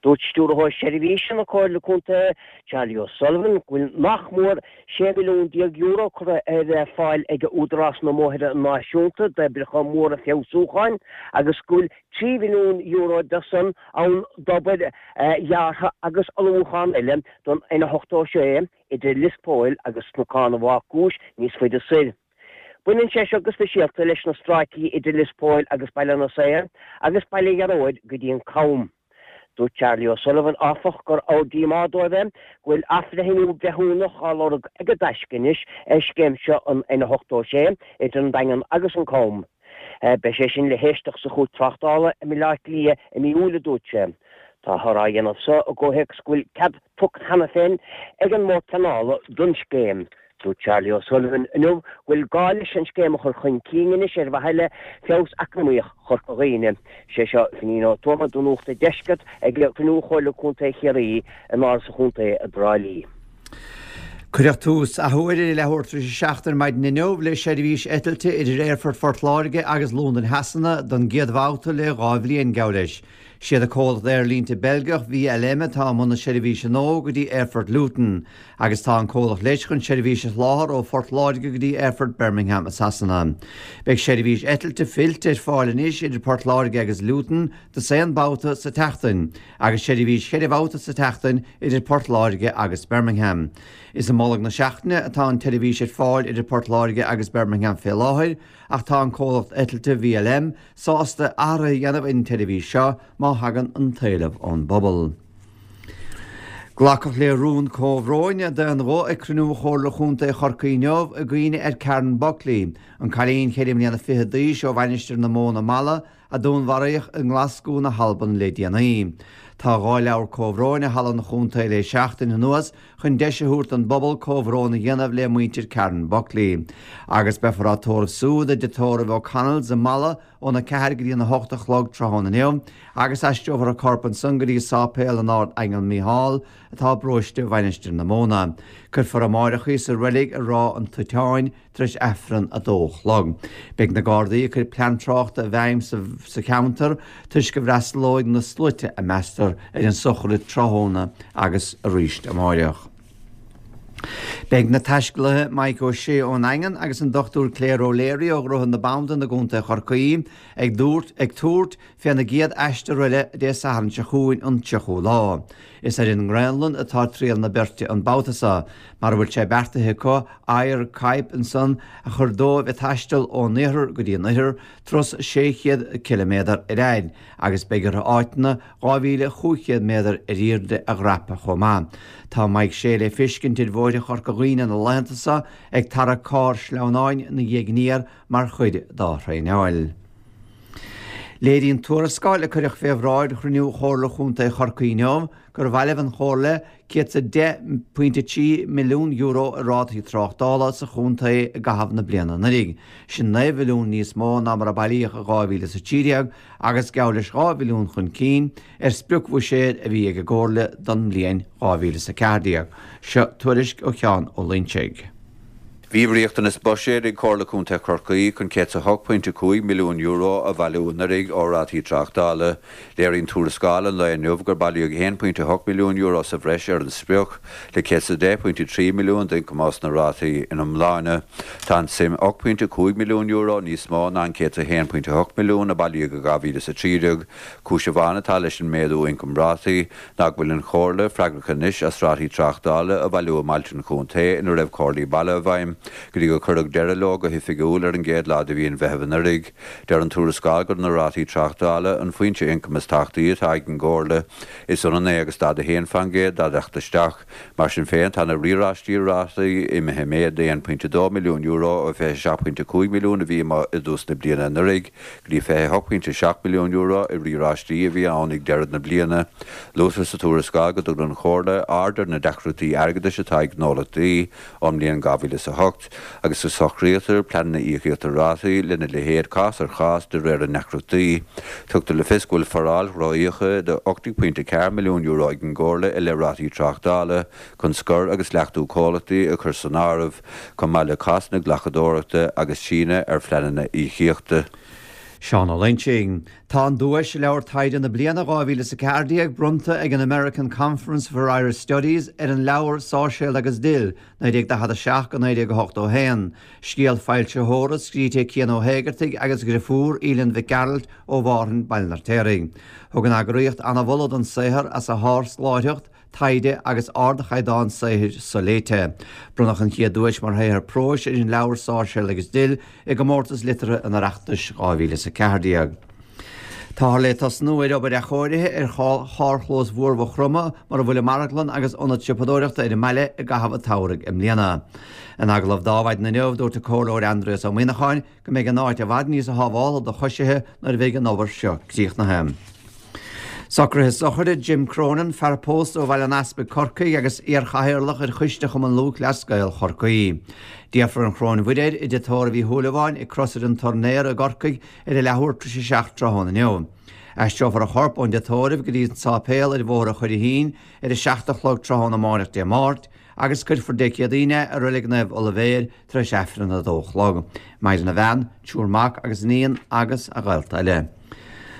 Dúirt Stiúrthóir Seirbhíse na Comhairle Contae, Charlie O'Sullivan, go bhfuil nach mór sé mhilliún déag euro curtha ar fáil ag Údarás na mBóithre Náisiúnta d'oibreacha móra feabhsúcháin agus go bhfuil trí mhilliún euro de san ann d'obair dheartha agus ullmhúchán eile don N ochtó sé idir Lios Póil agus Cnocán an Bhácúis níos faide soir. Baineann sé seo go speisialta leis na stráicí idir Lios Póil agus Baile na Saor agus Baile Ghearóid go dtí an Cam. Dúirt Charlie O'Sullivan, áfach, gur ábhar díomá dóibh é go bhfuil athbhreithniú breithiúnach á lorg ag an dTaisce anois ar scéim seo an N ochtó sé idir an Daingean agus an Cam. Beidh sé sin le héisteacht sa Chúirt Tráchtála i mBaile Átha Cliath i mí Iúil, a dúirt sé. Táthar á dhéanamh so i gcomhthéacs go bhfuil cead tugtha cheana féin ag an mBord Pleanála don scéim. Dúirt Charlie O'Sullivan inniu go bhfuil gá leis an scéim a chur chun cinn anois ar mhaithe le feabhas eacnamaíoch Chorca Dhuibhne. Sé seo Finín Ó Tuama do Nuacht an Deiscirt ag cruinniú Chomhairle Contae Chiarraí in Áras an Chontae i dTrá Lí.
Cuireadh tús athuair ar leathuair tar éis a seacht ar maidin inniu le seirbhís eitilte idir Aerfort Phort Láirge agus Londain Shasana don gcéad bhabhta le dhá bhliain, geall leis. Siad an comhlacht aerlínte Beilgeach V L M atá i mbun na seirbhíse nua go dtí Aerfort Luton agus tá an comhlacht leis chun seirbhís a sholáthar ó Phort Láirge go dtí Aerfort Birmingham i Sasana. Beidh seirbhís eitilte fillte ar fáil anois idir Port Láirge agus Luton dosaen babhta sa tseachtain agus seirbhís cheithre bhabhta sa tseachtain idir Port Láirge agus Birmingham. Is i mbolg na seachtaine atá an tseirbhís ar fáil idir Port Láirge agus Birmingham fé láthair ach tá an comhlacht eitilte V L M sásta athruithe a dhéanamh ar an tseirbhís seo má thagann an t-éileamh ón bpobal. Glacadh le rún comhbhróin d'aon ghuth ag cruinniú Chomhairle Chontae Chorcaí inniu i gcuimhne ar Karen Buckley, an cailín ceithre mbliana fiche d'aois ó Mhainistir na Móna Malla a dúnmharaíodh i nGlaschú na hAlban le déanaí. Tá dhá leabhar comhbhróin i halla an chontae le seachtain anuas chun deis a thabhairt don bpobal comhbhrón a dhéanamh le muintir Karen Buckley. Agus beifear á tórramh súd i dtigh tórraimh O'Connell's i Malla óna ceathair go dtí an hocht a chlog tráthnóna inniu, agus aistreofar a corp ansan go dtí Sáipéal an Ardaingil Mícheál atá i bparóiste Mhainistir na Móna. Cuirfear amáireach í sa reilig i Ráth an Toiteáin tar éis Aifreann a dó a chlog. Beidh na Gardaí ag cur plean tráchta i bhfeidhm sa cheantar toisc go bhfreastalóidh na sluaite a meastar ar an sochraid tráthnóna agus arís amáireach. Beidh na taiscéalaithe Mike O'Shea ón nDaingean agus an Dochtúir Claire O'Leary ó Dhroichead na Bandan i gContae Chorcaí ag dúirt ag tabhairt féna gcéad aistear eile Dé Sathairn seo chugainn an tríochú lá. Is ar an nGraonlainn atá triall na beirte an babhta seo, mar a bhfuil sé beartaithe acu oighear caidhp ansan a chur dóibh ag taisteal ón iarthar go dtí an oirthear, turas sé chéad ciliméadar ar fhaid, agus beidh orthu áiteanna dhá mhíle chúig chéad méadar ar airde a dhreapadh chomh maith. Tá Mike Shea le feiscint ar bhóithre Chorca Dhuibhne na laethanta seo ag tarrac carr sleamhnáin ina dhiaidh aniar mar chuid dá thraenáil. Léiríonn tuarascáil a cuireadh fé bhráid chruinniú Chomhairle Chontae Chorcaí inniu gur bhailigh an Chomhairle céad is a deich pointe trí milliún euro i rátaí tráchtála sa chontae i gcaitheamh na bliana anuraidh. Sin naoi mhilliún níos mó ná mar a bailíodh i dhá mhíle is a trí déag agus geall leis dhá mhilliún chun cinn ar spriocbhuiséad a bhí ag an gComhairle don mbliain dhá mhíle is a ceathair déag. Seo tuairisc ó Sheán Ó Loingsigh.
Bhí riachtanas buiséid ag Comhairle Contae Chorcaí chun céad is a hocht pointe cúig milliún euro a bhailiú anuraidh ó rátaí tráchtála. Léiríonn tuarascáil an lae inniu gur bailíodh a haon pointe hocht milliún euro sa bhreis ar an sprioc, le céad is a deich pointe trí milliún d'ioncam as na rátaí ina iomláine. Tá an tsuim ocht pointe cúig milliún euro níos mó ná an céad is a haon pointe hocht milliún a bailíodh i dhá mhíle is a trí déag. Cúis amháin atá leis an méadú ioncaim rátaí ná go bhfuil an Chomhairle freagrach anois as rátaí tráchtála a bhailiú i mbailte an chontae ina raibh Comhairlí Baile i bhfeidhm go dtí gur cuireadh deireadh leo go hoifigiúil ar an gcéad lá de mhí an Mheithimh anuraidh. Deir an tuarascáil gur na rátaí tráchtála an foinse ioncaim is tábhachtaí atá ag an gComhairle. Is ionann é agus daichead a haon faoin gcéad dá dteacht isteach. Mar sin féin, tá na riaráistí rátaí imithe i méad d'aon pointe dó milliún euro ó fiche a seacht pointe cúig milliún a bhí i dtús na bliana anuraidh go dtí fiche a hocht pointe seacht milliún euro i riaráistí a bhí ann ag deireadh na bliana. Luaitear sa tuarascáil go dtugann an Chomhairle aird ar na deacrachtaí airgeadais atá ag gnólachtaí ón mbliain dhá mhíle is a hocht agus go socraítear pleananna íocaíochta rátaí lena leithéid cás ar chás de réir a ndeacrachtaí. Tugtar le fios go bhfuil foráil ró-íoctha de ocht déag pointe ceathair milliún euro ag an gComhairle i leith rátaí tráchtála chun scor agus leachtú comhlachtaí a chur san áireamh, chomh maith le cásanna glacadóireachta agus síneadh ar phleananna íocaíochta.
Seán Ó Loingsigh. Tá an duais Leabhar Taighde na Bliana dhá mhíle is a ceathair déag bronnta ag an American Conference for Irish Studies ar an leabhar Sáirséal agus Dill, naoi déag daichead a seacht go naoi déag a hocht ó haon, scéal foilsitheora scríte ag Cian Ó hÉigeartaigh agus a dheirfiúr Aoileann Mhic Gearailt ó Mhárthain, Baile an Fheirtéaraigh. Thug an eagraíocht ana-mholadh don saothar as a shárscoláireacht, taighde agus ardchaighdeán saothair soléite. Bronnadh an chéad duais mar shaothar próis ar an leabhar Sáirséal agus Dill i gComórtas Liteartha an Oireachtais dhá mhíle is a ceathair déag. Táthar le tosnú ar obair athchóirithe ar charrchlós mhór Mhaigh Chromtha mar a bhfuil an marglann agus ionad siopadóireachta ar an mbaile i gcaitheamh an tsamhraidh i mbliana. In agallamh d'Adhmhaidin inniu, dúirt an Comhairleoir Aindrias Ó Muíneacháin go mbeidh an áit i bhfad níos sábhála do choisithe nuair a bheidh an obair seo críochnaithe. Socruithe sochraide Jim Cronin, fear pósta ó Bhaile an Easpaig, Corcaigh agus iar-chathaoirleach ar Choiste Chumann Lúthchleas Gael Chorcaí. Déarfar an Choróin Mhuire air i dTigh Tórraimh Uí Shúilleabháin ag Crosaire an Tornaer i gCorcaigh ar a leathuair tar éis a seacht tráthnóna inniu. Aistreofar a chorp ón dtigh tórraimh go dtí an sáipéal ar Bhóthar an Churraichín ar a seacht a chlog tráthnóna amáireach Dé Máirt agus cuirfear Dé Céadaoin é i Reilig Naomh Oilibhéir tar éis Aifreann a dó a chlog. Maireann a bhean, triúr mac agus iníon agus a ghaolta eile.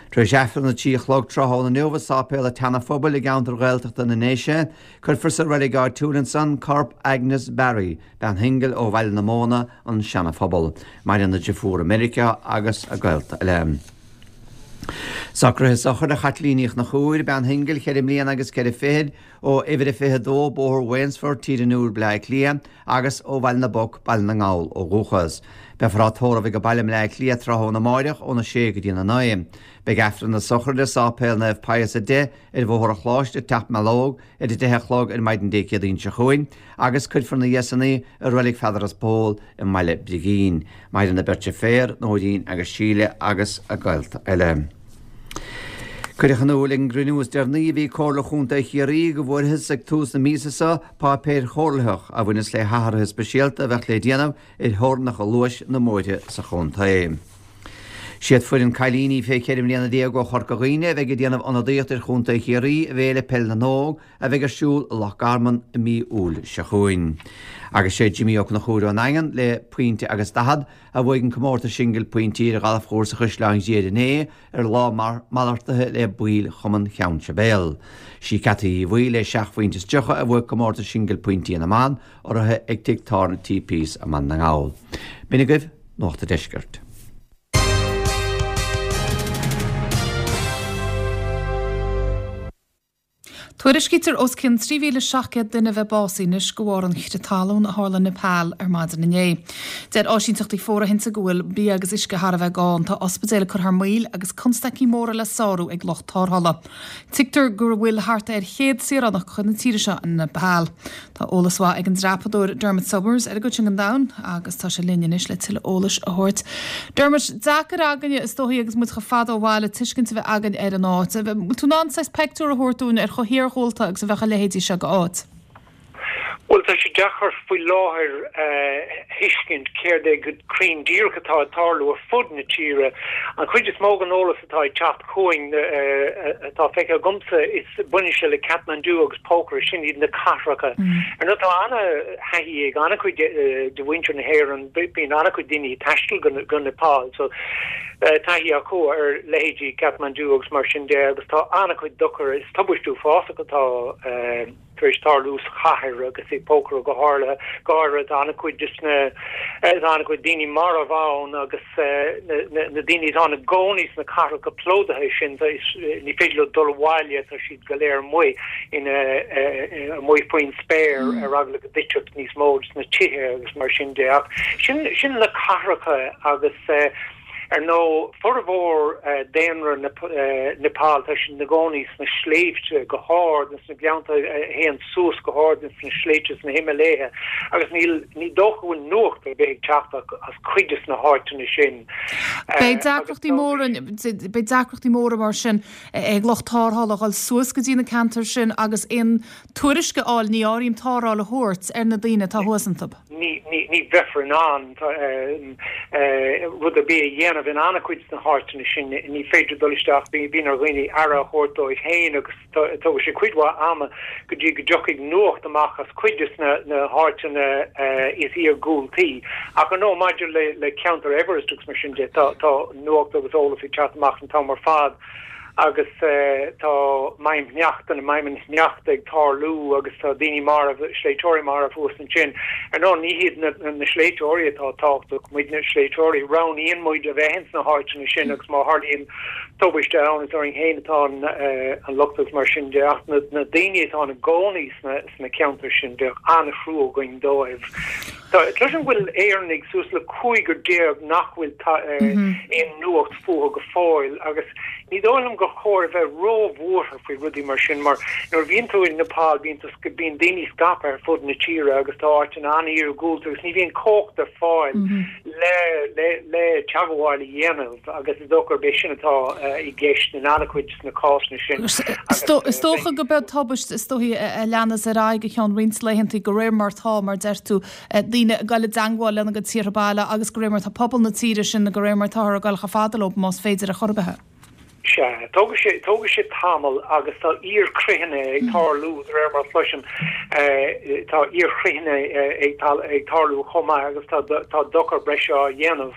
Tar éis Aifreann a trí a chlog tráthnóna inniu i Sáipéal an tSeana-Phobail i gceantar Ghaeltachta na nDéise, cuirfear sa reilig áitiúil ansan corp Agnes Barry, bean shingil ó Bhaile na Móna, an Seana-Phobal. Maireann a deirfiúr i Meiriceá agus a gaolta eile. Socruithe sochraide Chaitlín Ní Chonchúir, bean shingil cheithre mbliana agus ceithre fichid, ó uimhir a fiche a dó, Bóthar Wainsfort, Tír an Iúir, Bleá Cliath, agus ó Bhaile na bPoc, Baile na nGall ó dhúchas. Beifear á tórramh ag baile i mBleá Cliath tráthnóna amáireach óna sé go dtína naoi. Beidh Aifreann na sochraide i Sáipéal Naomh Pius a Deich ar Bhóthar an Choláiste, Teach Mealóg, ar a deich a chlog ar maidin Dé Céadaoin seo chugainn agus cuirfear ina dhiaidh san í i Reilig Pheadar is Pól i mBaile Brigín. Maireann a beirt deirféar, Nóirín agus Síle agus a gaolta eile. Cuireadh in iúl ag an gcruinniú is deireanaí a bhí ag Comhairle Chontae Chiarraí go bhfuarthas ag tús na míosa seo páipéir chomhairlitheach a bhaineas le hathruithe speisialta a bheadh le déanamh ar theorainneacha luais na mbóithre sa chontae. Siad foireann cailíní fé cheithre mbliana déag ó Chorca Dhuibhne a bheidh ag déanamh ionadaíocht ar Chontae Chiarraí i bhFéile Peil na nÓg a bheidh ar siúl i Loch Garman i mí Iúil seo chugainn. Agus sé Jimmy Ó Conchúir ón nDaingean le pointe agus daichead a bhuaigh an comórtas singil pointí ar ghalfchúrsa Chaisleán Ghriaire inné ar lá malartaithe le baill Chumann Cheann Sibéal. Sí Cathy Uí Bhaoill le seacht phointe is tríocha a bhuaigh comórtas singil pointí na mban, urraithe ag Tigh Tábhairne T P's i mBaile na nGall. B'in agaibh Nuacht an Deiscirt.
Tuairiscítear os cionn trí mhíle seacht gcéad duine a bheith básaithe anois de bharr an chrith talún a tharla i Nepal ar maidin inné. Deir áisínteachtaí fóirithinte go bhfuil bia agus uisce thar a bheith gann. Tá ospidéil ag cur thar maoil agus constaicí móra le sárú ag lucht tarrthála. Tuigtear go bhfuil thart ar chéad saoránach de chuid na tíre seo in Nepal. Tá eolas mhaith ag an dreapadóir Dermot Somers ar an gcuid sin den domhan agus tá sé linn anois le tuilleadh eolais a thabhairt. Dermot, deacair againne is dóichí agus muid chomh fada ó bhaile tuiscint a bheith againn ar an áit. Bhfuil tú in ann saghas peictiúr a thabhairt dúinn ar chomh hiargúlta agus a bheadh a leithéidí seo d'áit?
Bhuel, tá sé deacair faoi láthair a thuiscint céard é go cruinn díreach atá ag tarlú ar fud na tíre. An chuid is mó den eolas atá ag teacht chugainn, atá feicthe agamsa, is baineann sé le Kathmandu agus Pokhara, sin iad na cathracha. Ar ndóigh, tá ana-thaithí ag an-chuid de mhuintir na hÉireann, bíonn an-chuid daoine ag taisteal go Nepal, so taithí acu ar leithéidí Kathmandu agus mar sin de, agus tá an-chuid dochair, is tubaist uafásach atá tar éis tarlú sa chathair agus i Pokhara go háirithe, go háirithe tá an-chuid de na, tá an-chuid daoine marbh ann agus na daoine atá ina gcónaí sna cathracha plódaithe sin, ní féidir leo dul abhaile, tá siad go léir amuigh ina, amuigh faoin spéir ar eagla go dtitfeadh níos mó de na tithe agus mar sin de. Ach sin, sin na cathracha agus Ar ndóigh, formhór daonra Nepal, tá siad ina gcónaí sna sléibhte go hard, sna gleannta a théann suas go hard sna sléibhte sna Himiléithe, agus níl, ní dócha go bhfuil nuacht ar bith ag teacht as cuid de na háiteanna sin.
Beidh deacrachtaí móra, beidh deacrachtaí móra mar sin ag lucht tarrthála dhul suas go dtí na ceantair sin agus aon tuairisc a fháil, ní áirím tarrtháil a thabhairt ar na daoine atá thuas iontu.
Ní, ní bheifear in ann rud ar bith a dhéanamh in an-chuid de na háiteanna sin. Ní féidir dul isteach, bíonn ar dhaoine aire a thabhairt dóibh féin agus tógfaidh sé cuid mhaith ama go dtí go dtiocfaidh nuacht amach as cuid de na háiteanna is iargúltaí. Ach ar ndóigh, maidir le ceantar Everest agus mar sin de, tá nuacht agus eolas ag teacht amach an t-am ar fad. agus tá maidhm-shneachta, maidhmeanna sneachta ag tarlú agus tá daoine marbh, sléibhteoirí marbh thuas ansin. Ar ndóigh, ní hiad na sléibhteoirí atá tábhachtach, muidne sléibhteoirí, roghnaíonn muid a bheith ins na háiteanna sin agus má tharlaíonn tubaiste ann, is orainn féin atá an locht agus mar sin de. Ach na daoine atá ina gcónaí sna ceantair sin, bheadh an-thrua againn dóibh. Cloisim go bhfuil Éireannaigh suas le cúigear déag nach bhfuil aon nuacht fúthu go fóill agus ní dóigh liom gur chóir a bheith róbhuartha faoi rudaí mar sin mar nuair a bhíonn tú i Nepal bíonn tú bíonn daoine scaipthe ar fud na tíre agus tá áiteanna an-iargúlta agus ní bhíonn cumhacht ar fáil le le le teagmháil a dhéanamh agus is dócha gurb é sin atá i gceist in an-chuid de na cásanna sin.
Is dócha go mbeidh tubaist is dóichí a leanas ar aghaidh go ceann roinnt laethanta de réir mar atá mar deir tú daoine ag dul i dteangmháil lena gcuid tíortha baile agus de réir mar atá pobal na tíre sin de réir mar atáthar ag dul chomh fada leo más féidir ar chor ar bith.
Sea, tógfaidh sé, tógfaidh sé tamall agus tá iarchritheanna ag tarlú de réir mar a chloisim, tá iarchritheanna ag tarlú chomh maith agus tá, tá dochar breise á dhéanamh.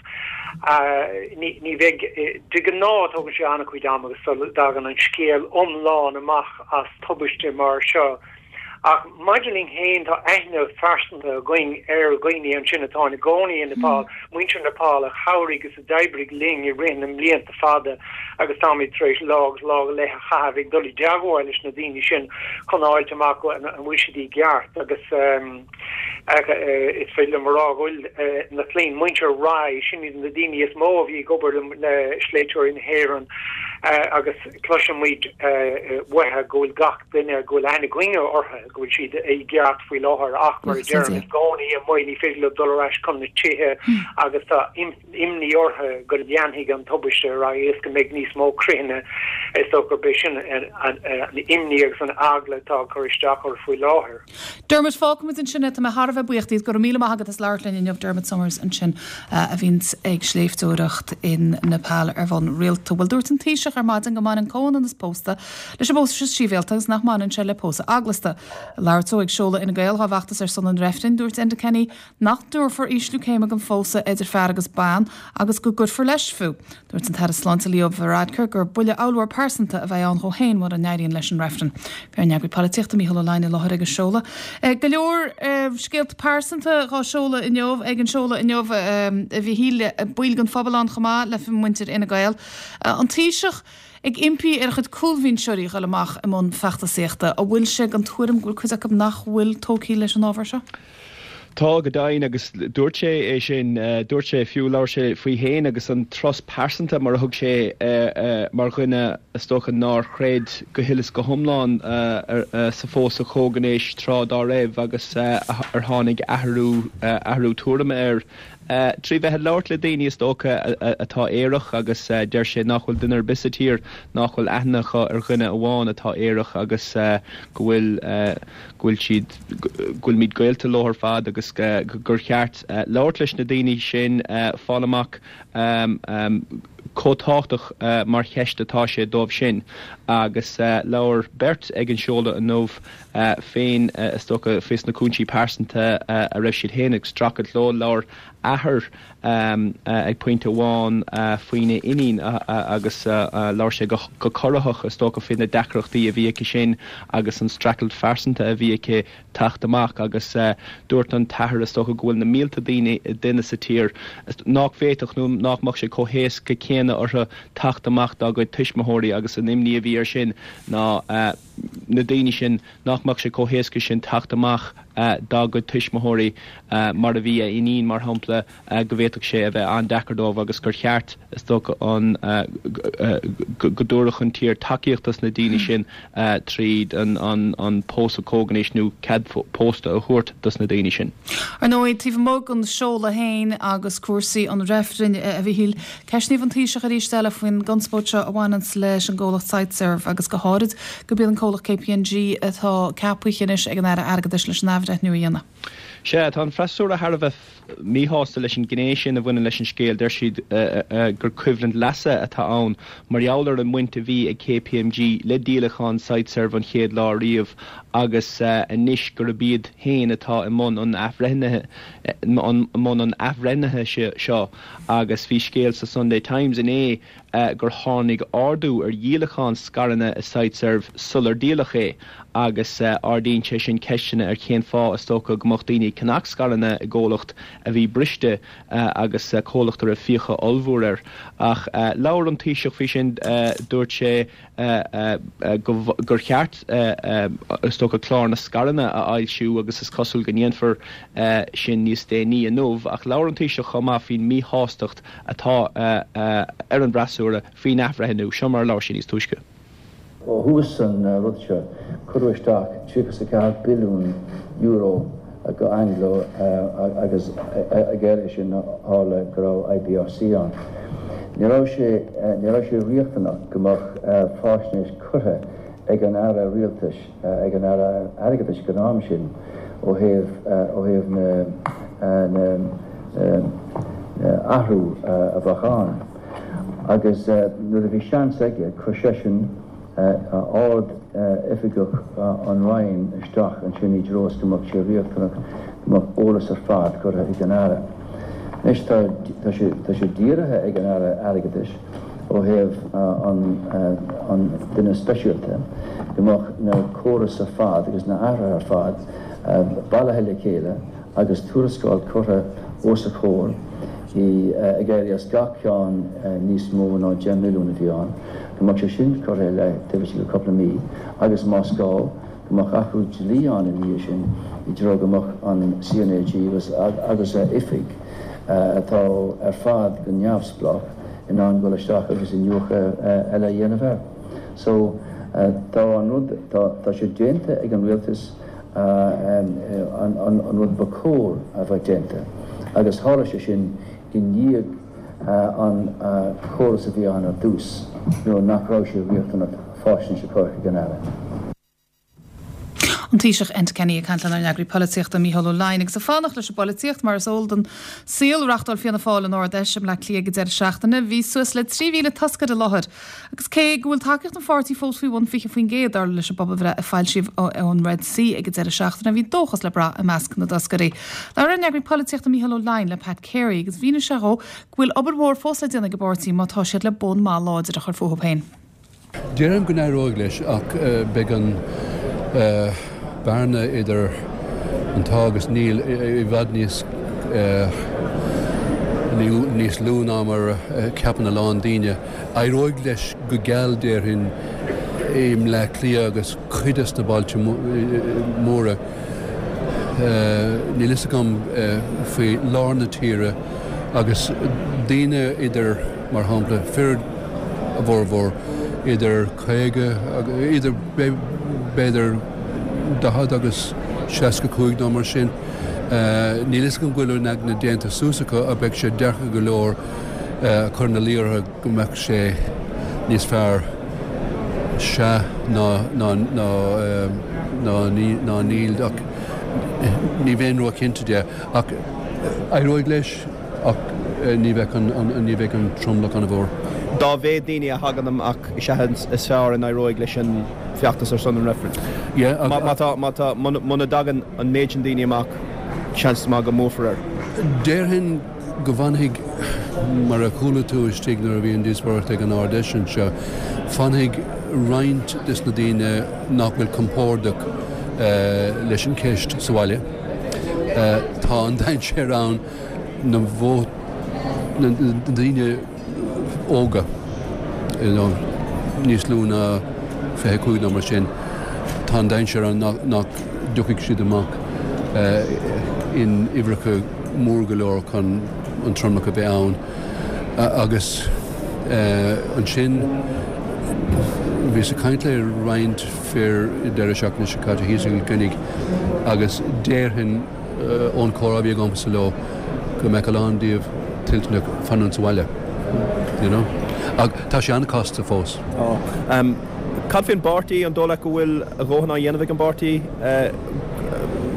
Ní, ní bheidh, de ghnáth tógann sé an-chuid ama agus sula dtagann an scéal iomlán amach as tubaiste mar seo. Ach maidir linn féin, tá aithne phearsanta againn ar dhaoine ansin atá ina gcónaí i Nepal, muintir Nepal a chabhraigh agus a d'oibrigh linn i rith na mblianta fada agus táimid tar éis lá agus lá go leith a chaitheamh ag dul i dteagmháil leis na daoine sin chun a fháilt amach an bhfuil siad i gceart agus is féidir liom a rá go bhfuil na clainn, muintir Rai, sin iad na daoine is mó a bhí ag obair le sléibhteoirí na hÉireann agus cloisimid uathu go bhfuil gach duine go bhfuil aithne againne orthu, go bhfuil siad i gceart faoi láthair ach mar a deirim i gcónaí amuigh ní féidir leo dul ar ais chun na tithe agus tá imní orthu go leanfaidh an tubaiste ar aghaidh is go mbeidh níos mó critheanna. Is dócha gurb é sin an imní agus an eagla atá ag cur isteach orthu faoi láthair.
Dermot, fágfaimid ansin é. Tá mé thar a bheith buíoch díot. Go raibh míle maith agat as labhairt linn inniu. Dermot Somers ansin a bhíonns ag sléibhteoireacht in Nepal ar bhonn rialta. Bhuel, dúirt an Taoiseach ar maidin go mbaineann comhionannas pósta leis an bpósadh sibhialta agus nach mbaineann sé le pósadh eaglasta. Ag labhairt dó ag seoladh Fhine Gael dhá bhfeachtas ar son an reifrinn, dúirt Enda Kenny nach dtabharfar ísliú céime don phósadh idir fear agus bean agus go gcuirfear leis fiú. Dúirt an tAire Sláinte Leo Varadkar gur buille ollmhór pearsanta a bheidh ann dhó féin mura n-éiríonn leis an reifreann. Bhí ár n-eagraí polaitíochta Mícheál Ó Leidhin i láthair ag an seoladh. Go leor scéalta pearsanta dhá seoladh inniu ag an seoladh inniu a Mhichíl, baill den phobal ann chomh maith le muintir Fhine Gael. An Taoiseach ag impí ar a chuid cúlbhinseoirí dhul amach i mbun feachtasaíochta. An bhfuil sé den tuairim go bhfuil cuid acu nach bhfuil tógtha leis an ábhar seo?
Tá, go deimhin, agus dúirt sé é sin, dúirt sé fiú, labhair sé faoi fhéin agus an turas pearsanta mar a thug sé mar dhuine is dócha nár chreid go huile is go hiomlán sa phósadh comhghnéis tráth dá raibh agus ar tháinig athrú athrú tuairime air trí bheith ag labhairt le daoine is dócha atá aerach agus deir sé nach bhfuil duine ar bith sa tír nach bhfuil aithne acu ar dhuine amháin atá aerach agus go bhfuil go bhfuil siad go bhfuilimid gaolta leo ar fad agus gur cheart labhairt leis na daoine sin fáil amach chomh tábhachtach mar cheist atá sé dóibh sin agus labhair beirt ag an seoladh inniu féin is dócha faoi na cúinsí pearsanta a raibh siad féin ag streachailt leo. Labhair athair ag pointe amháin faoina iníon agus labhair sé go corraitheach is dócha faoi na deacrachtaí a bhí aici sin agus an streachailt phearsanta a bhí aici teacht amach agus dúirt an t-athair is dócha go bhfuil na mílte daoine duine sa tír nach bhféadfadh nó nach mbeadh sé chomh héasca céanna orthu teacht amach dá gcuid tuismitheoirí agus an imní a bhí air sin ná na daoine sin nach mbeadh sé chomh héasca sin teacht amach dá gcuid tuismitheoirí mar a bhí a iníon mar shampla go bhféadfadh sé a bheith an-deacair dóibh agus gur cheart is dócha an go dtabharfadh an tír tacaíocht dos na daoine sin tríd an an pósadh comhghnéis nó cead pósta a thabhairt dos na daoine sin.
Ar ndóigh, taobh amuigh den seoladh féin agus cúrsaí an reifrinn, a Mhichíl, ceistníodh an Taoiseach arís eile faoin gconspóid seo a bhaineanns leis an gcomhlacht Siteserv agus go háirid gurb iad an comhlacht KPMG atá ceaptha anois ag an Aire Airgeadais leis an athbhreithniú a dhéanamh.
Sea, tá an freasúra thar a bheith míshásta leis an ghné sin a bhaineann leis an scéal. Deir siad gur coimhlint leasa atá ann mar gheall ar an mbaint a bhí ag KPMG le díolachán Siteserv an chéad lá riamh agus anois gurb iad féin atá i mbun an athbhreithnithe mbun an athbhreithnithe seo agus bhí scéal sa Sunday Times inné gur tháinig ardú ar dhíolachán scaireanna i Siteserv sular díoladh é agus ardaíonn sé sin ceisteanna ar cén fáth is dócha go mbeadh daoine ag ceannach scaireanna i gcomhlacht a bhí briste agus comhlacht a raibh fiacha ollmhór air. Ach labhair an Taoiseach faoi sin, dúirt sé gur cheart is dócha clár na scaireanna a fhoilsiú agus is cosúil go ndéanfar sin níos déanaí inniu. Ach labhair an Taoiseach chomh maith faoin míshástacht atá ar an bhfreasúra faoin athbhreithniú. Seo mar a labhair sé níos túisce.
Ó thús an rud seo, cuireadh isteach tríocha is a ceathair billiún euro go Anglo agus ag éirí sin tharla go raibh IBRC ann. Ní raibh sé ní raibh sé riachtanach go mbeadh faisnéis curtha ag an Aire Rialtais, ag an Aire Airgeadais ag an am sin ó thaobh ó thaobh na na athrú a bheadh ann. Agus nuair a bhí seans aige, chuir seisean ard-oifigeach an Roinn isteach ansin i dtreo is go mbeadh sé riachtanach go mbeadh eolas ar fad curtha ag an Aire. Anois tá tá sé tá sé dírithe ag an Aire Airgeadais ó thaobh an an duine speisialta go mbeadh na córais ar fad agus na athruithe ar fad bailithe le chéile agus tuarascáil curtha os a chomhair í ag éirí as gach ceann níos mó ná deich milliún a bhí ann, go mbeadh sé sin curtha i leith taobh istigh de cúpla mí agus más gá, go mbeadh athrú dlí ann ina dhiaidh sin i dtreo go mbeadh an CnaG agus agus a oifig, atá ar fad go neamhspleách, in ann dul isteach agus iniúchadh eile a dhéanamh air. So, tá an rud, tá sé déanta ag an rialtas. an rud ba chóir a bheith déanta agus tharla sé sin i ndiaidh an chóras a bhí ann ar dtús nuair nach raibh sé riachtanach faisnéis a chur chuig an Aire.
An Taoiseach Enda Kenny ag caint lenár n-eagraí polaitíochta Mícheál Ó Leidhin agus ag fanacht leis an bpolaitíocht mar is eol don saol reáchtáil Fianna Fáil an Ard-Fheis i mBleá Cliath ag an deireadh seachtaine. Bhí suas le trí mhíle toscaire i láthair. Agus cé go bhfuil tacaíocht an pháirtí fós faoi bhun fiche faoin gcéad dar leis an bpobalbhreith a foilsíodh ón Red C ag an deireadh seachtaine, bhí dóchas le brath i measc na dtoscairí. Labhair ár n-eagraí polaitíochta Mícheál Ó Leidhin le Pat Carey agus mhínigh sé dhó go bhfuil obair mhór fós le déanamh ag an bpáirtí má tá siad le bonn maith láidir a chur fúthu féin.
Déarfainn go n-éireoidh leis ach beidh an bearna idir an tá agus níl i bhfad níos níos lú ná mar a cheapann a lán daoine. Éireoidh leis go geal déarfainn i mBleá Cliath agus cuid des na bailte móra. Níl fhios agam faoi lár na tíre agus daoine idir, mar shampla, fir a bhformhór idir caoga, idir b'fhéidir daichead agus seasca cúig nó mar sin. Níl fhios agam go bhfuil a n-aigne déanta suas acu ach beidh sé deacair go leor a chur ina luí orthu go mbeadh sé níos fearr sea ná ná ná ná ná níl ach ní bheinn róchinnte de ach éireoidh leis ach ní bheidh an ní bheidh an tromlach an-mhór.
Dá mhéad daoine a thagann amach is ea is fearr a n-éireoidh leis an bhfeachtas ar son an reifrinn. Má tá, má tá, muna dtagann an méid sin daoine amach, seans maith go mbuafar air.
Déarfainn go bhfanfaidh, mar a chuala tú istigh nuair a bhí an díospóireacht ag an Ard-Fheis anseo, fanfaidh roinnt des na daoine nach bhfuil compordach leis an cheist sa bhaile. Tá an dainséar ann na na daoine óga, you know, níos lú ná fiche cúig nó mar sin, tá an dainséar ann nach dtiocfaidh siad amach in uimhreacha mór go leor chun an tromlach a bheith ann. Agus ansin bhíos ag caint le roinnt fir deireadh seachtaine seo caite thíos i gCill Chainnigh agus déarfainn ón chomhrá a bhí agamsa leo go mbeadh a lán díobh toilteanach fanúint sa bhaile, you know. Ach tá sé an-chasta fós.
Cad faoin bpáirtí? An dóigh leat go bhfuil a dhóthain á dhéanamh ag an bpáirtí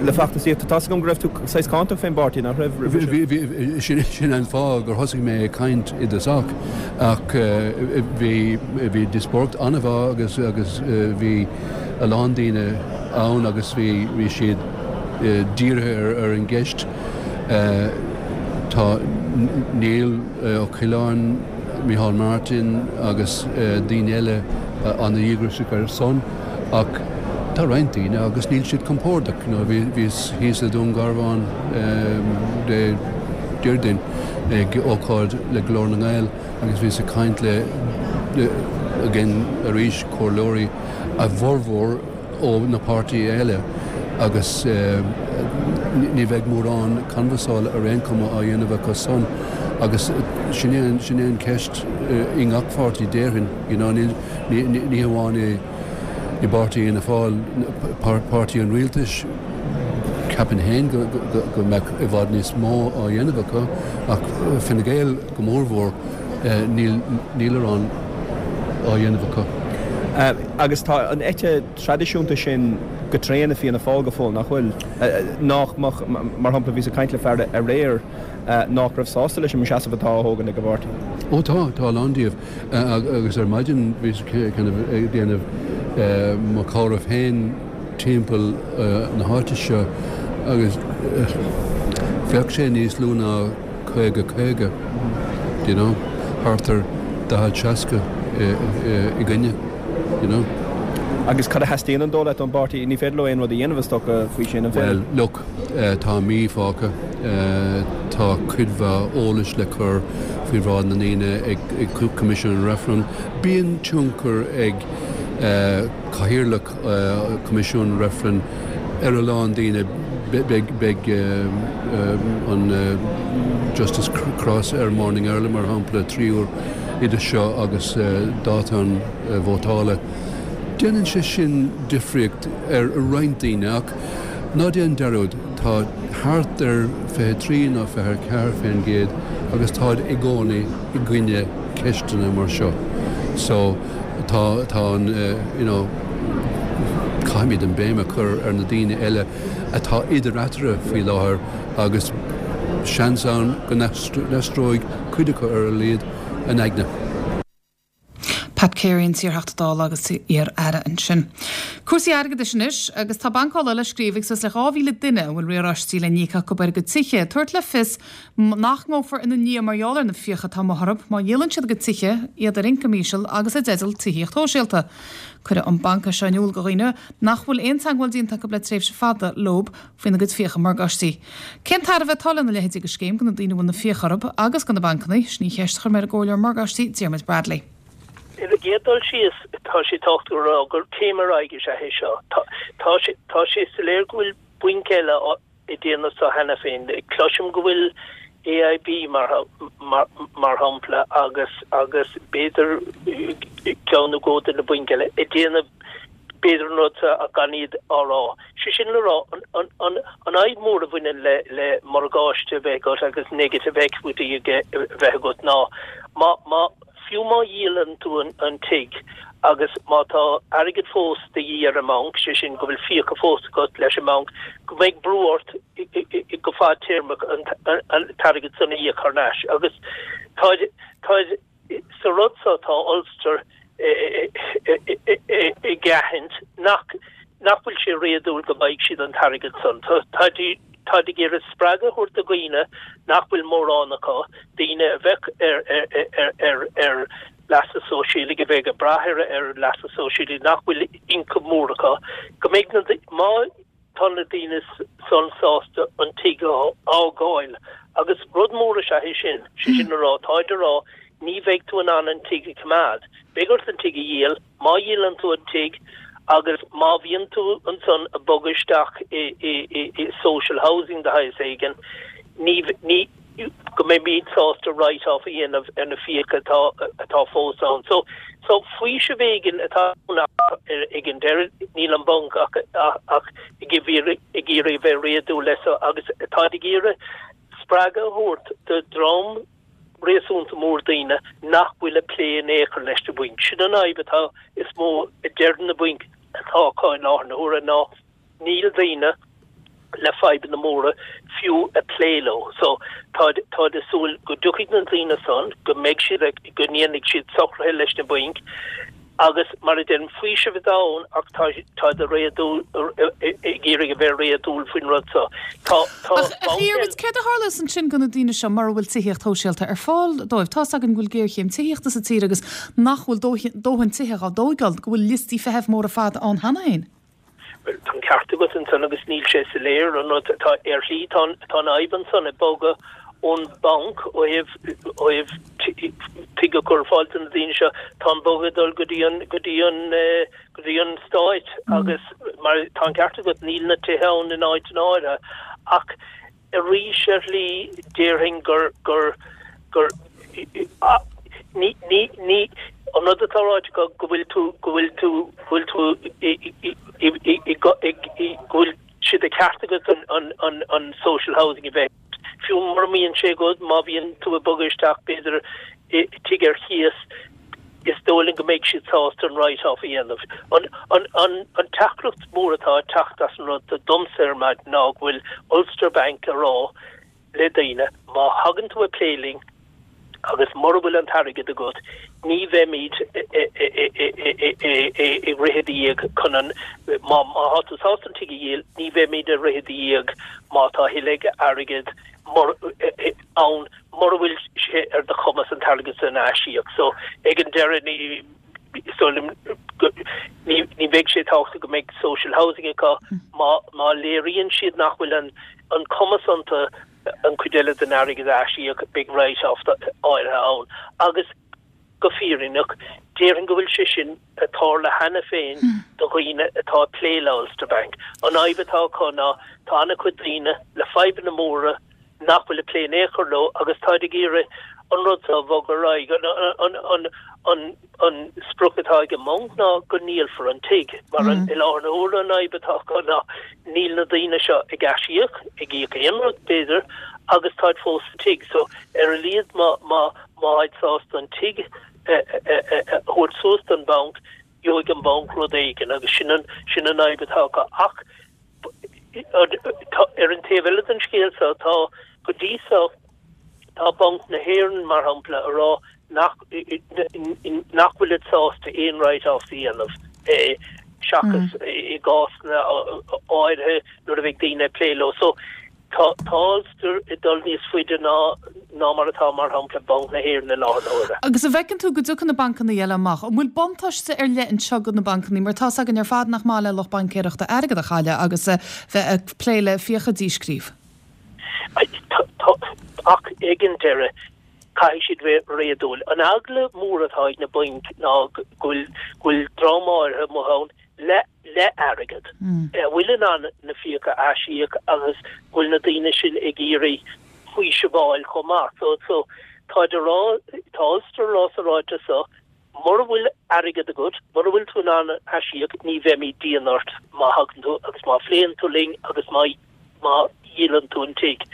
le feachtasaíocht? Tá 's agam go raibh tú saghas cáinteach fén bpáirtí, nach raibh, roimhe
sin? Bhí, bhí, sin an fáth gur thosaigh mé ag caint i dtosach ach bhí, bhí díospóireacht an-mhaith agus, agus bhí a lán daoine ann agus bhí, bhí siad dírithe ar, ar an gceist. Tá Niall Ó Coileáin, Micheál Martin agus daoine eile an-dhíograiseach ar a son ach tá roinnt daoine agus níl siad compordach. Bhíos thíos i Dún Garbhán Dé Déardaoin ag ócáid le Glór na nGael agus bhíos ag caint le, again arís, comhairleoirí, a bhformhór ó na páirtithe eile agus ní bheidh mórán canbhasála ar aon chuma á dhéanamh acu san agus sin é sin é an cheist i ngach pháirtí déarfainn, you know, ní ní hamháin i i bpáirtí Fhianna Fáil, páirtí an rialtais, ceapaim féin go go mbeadh i bhfad níos mó á dhéanamh acu ach Fine Gael go mórmhór níl níl mórán á dhéanamh acu.
Agus tá an eite traidisiúnta sin go tréan i Fianna Fáil go fóill, nach bhfuil? Nach mbeadh, mar shampla, bhíos ag caint le fear aréir nach raibh sásta leis an seasamh atá á thógaint ag an bpáirtí.
Ó tá, tá a lán díobh. Agus ar maidin bhíos kind of ag déanamh mo chomhaireamh féin timpeall na háite seo agus bheadh sé níos lú ná caoga caoga, do you know, thart ar daichead seasca i gcoinne, you know.
Agus cad a theastaíonn an dóigh leat ón bpáirtí? Ní féidir leo aon rud a dhéanamh is dócha faoi sin, an
féidir? Bhuel, look, tá mí fágtha, tá cuid mhaith eolais le cur faoi bhráid na ndaoine ag Coimisiún an Reifrinn. Bíonn tionchar ag cathaoirleach Coimisiún an Reifrinn ar a lán daoine, beidh beidh an Justice Cross ar Morning Ireland mar shampla trí huair idir seo agus dáta an vótála. Déanann sé sin difríocht ar roinnt daoine ach Ná déan dearúd, tá thart ar fiche trí nó fiche ceathair faoin gcéad agus táid i gcónaí i gcoinne ceisteanna mar seo. So tá tá an you know caithfimid an béim a chur ar na daoine eile atá idir eatarthu faoi láthair agus seans ann go n-aistreoidh cuid acu ar a laghad a n-aigne.
Pat Carey an t-iarTheachta Dála agus iar-aire ansin. Cúrsaí airgeadais anois agus tá Banc Uladh le scríobh ag suas le dhá mhíle duine a bhfuil riaráistí le n-íoc acu ar a gcuid tithe, ag tabhairt le fios nach ngabhfar ina ndiaidh mar gheall ar na fiacha atá amuigh orthu má dhíolann siad a gcuid tithe, iad ar ioncam íseal agus i dteideal tithíocht shóisialta. Cuireadh an banc é seo in iúl do dhaoine nach bhfuil aon teagmháil déanta acu le tréimhse fada leo faoina gcuid fiacha morgáistí. Cén tairbhe atá lena leithéidí de scéim do na daoine a bhfuil na fiacha orthu agus do na bancanna? Sin í an cheist a chuir mé ar an gcomhairleoir morgáistí Diarmuid Bradley.
Ar an gcéad dul síos, tá sé tábhachtach a rá gur céim ar aghaidh is ea é seo. Tá sé tá sé soiléir go bhfuil bainc eile ag déanamh seo cheana féin. Cloisim go bhfuil AIB mar mar mar shampla agus agus b'fhéidir ceann nó dhó de na bainc eile ag déanamh b'fhéidir an rud seo ach gan iad á rá. Sé sin le rá an an an an fhadhb mhór a bhaineann le le morgáiste a bheith agat agus negative equity a bheith agat ná má má Fiú má dhíolann tú an tigh agus má tá airgead fós de dhíth ar an mbanc, sé sin go bhfuil fiacha fós agat leis an mbanc, go mbeidh brú ort go fadtéarmach an t-airgead san a íoc thar n-ais. Agus tá, tá, sa rud so tá Ulster ag aithint nach, nach bhfuil sé réadúil go bhfaighidh siad an t-airgead san. Tá, táid ag iarraidh spreagadh a thabhairt do dhaoine nach bhfuil mórán acu, daoine a bheadh ar, ar, ar, ar leasa sóisialaigh, a bheadh ag brath ar, ar leasa sóisialaigh, nach bhfuil ioncam mór acu, go mbeidh na, má tá na daoine san sásta an tigh a fhágáil. Agus rud mór is ea é sin, sé sin a rá, táid a rá, ní bheidh tú in ann an tigh a choimeád, beidh ort an tigh a dhíol, Má dhíolann tú an tigh agus má bhíonn tú ansan ag bogadh isteach i i social housing de shaghas éigin, ní ní go mbeimid sásta write off a dhéanamh ar na fiacha atá atá fós ann. So so faoiseamh éigin atá ann ach ag an deireadh níl an banc ach ach ag iarraidh ag iarraidh a bheith réadúil leis so agus táid ag iarraidh spreagadh a thabhairt do dhream réasúnta mór daoine nach bhfuil ag plé in aon chor leis na bainc. Sin an fhadhb atá is mó a deir na bainc atá acu i láthair na huaire ná níl daoine le fadhbanna móra fiú ag plé leo. So táid táid ag súil go dtiocfaidh na daoine san, go mbeidh siad ag, go ndéanfaidh siad socruithe leis na bainc Agus mar a deirim, faoiseamh atá ann ach tá táid réadúil ag iarraidh a bheith réadúil faoin rud seo. Tá tá
Ach a Dhiarmuid, céard a tharlós ansin do na daoine seo mura bhfuil tithíocht shóisialta ar fáil dóibh? Tá's againn go bhfuil géarchéim tithíochta sa tír agus nach bhfuil dóthain tithe á dtóigeáil, go bhfuil liostaí feithimh móra fada ann cheana féin.
Bhuel, tá an ceart agat ansan agus níl sé soiléir an rud atá ar shlí. Tá an tá an fhadhb ansan ag bogadh ón mbanc ó thaobh ó thaobh tigh a chur ar fáil do na daoine seo. Tá an bogadh ag dul go dtí an go dtí an go dtí an stáit agus mar tá an ceart agat níl na tithe ann in áiteanna áirithe ach Arís ar shlí déarfainn gur, gur, gur, ní, ní, ní, an rud atá ráite acu go bhfuil tú, go bhfuil tú, go bhfuil tú i, i, i, i, i, i, i, go bhfuil sé de cheart agat an, an, an, an social housing a bheith, fiú mura mbíonn sé agat, má bhíonn tú ag bogadh isteach b'fhéidir i tigh ar chíos, is dóigh liom go mbeidh siad sásta an write-off a dhéanamh. An, an, an, an teachtaireacht mhór atá ag teacht as an rud domsa ar maidin ná go bhfuil Ulster Bank ag rá le daoine, má thagann tú ag plé linn agus mura bhfuil an t-airgead agat, ní bheimid ag rith i do dhiaidh chun an, má, má tá tú sásta an tigh a dhíol, ní bheimid ag rith i do dhiaidh má tá a thuilleadh airgid mur, ann mura bhfuil sé ar do chumas an t-airgead san a aisíoc. So, ag an deireadh, ní, is dóigh liom go, ní, ní bheidh sé tábhachtach go mbeidh social housing acu má, má léiríonn siad nach bhfuil an, an cumas iontu an chuid eile den airgead a aisíoc, beidh write-off áirithe ann. Agus go fírinneach, déarfainn go bhfuil sé sin ag tarlú cheana féin do dhaoine atá ag plé le Ulster Bank. An fhadhb atá acu ná tá an-chuid daoine le fadhbanna móra, nach bhfuil ag plé in aon chor leo agus táid ag iarraidh an rud seo a bhogadh ar aghaidh. An, an, an, an sprioc atá ag an mbanc ná go ndíolfar an tigh, mar an, i láthair na huaire an fhadhb atá acu ná níl na daoine seo ag aisíoc, ag íoc aon rud b'fhéidir, agus táid fós sa tigh. So ar a laghad má, má, má tháid sásta an tigh a, a, a, a thabhairt suas don bhanc, gheobhaidh an banc rud éigin agus sin an, sin an fhadhb atá acu. Ach ar an taobh eile den scéal seo, tá, go dtí seo, tá Banc na hÉireann, mar shampla, a rá nach, nach bhfuilid sásta aon write-offs a dhéanamh seachas i gcásanna áirithe nuair a bheidh daoine ag plé leo. So, Tá Ulster ag dul níos faide ná ná mar atá, mar shampla, Banc na hÉireann i láthair na huaire.
Agus an bhfeiceann tú go dtiocfaidh na bancanna eile amach? An bhfuil buntáiste ar leith anseo do na bancanna mar tá's againn ar fad nach maith le lucht baincéireachta airgead a chailleadh agus a bheith ag plé le fiacha a díscríobh?
Tá, ach ag an deireadh caithfidh siad bheith réadúil. An eagla mór atá ag na bainc ná go bhfuil go bhfuil dream áirithe amuigh ann le le airgead, a bhfuil in ann na fiacha a aisíoc agus go bhfuil na daoine sin ag iarraidh faoiseamh a fháil chomh maith. So, so, táid a rá, tá Ulster a rá sa ráiteas seo, mura bhfuil airgead agat, mura bhfuil tú in ann aisíoc, ní bheimid dian ort má thagann tú agus má phléann tú linn agus má, má dhíolann tú an tigh.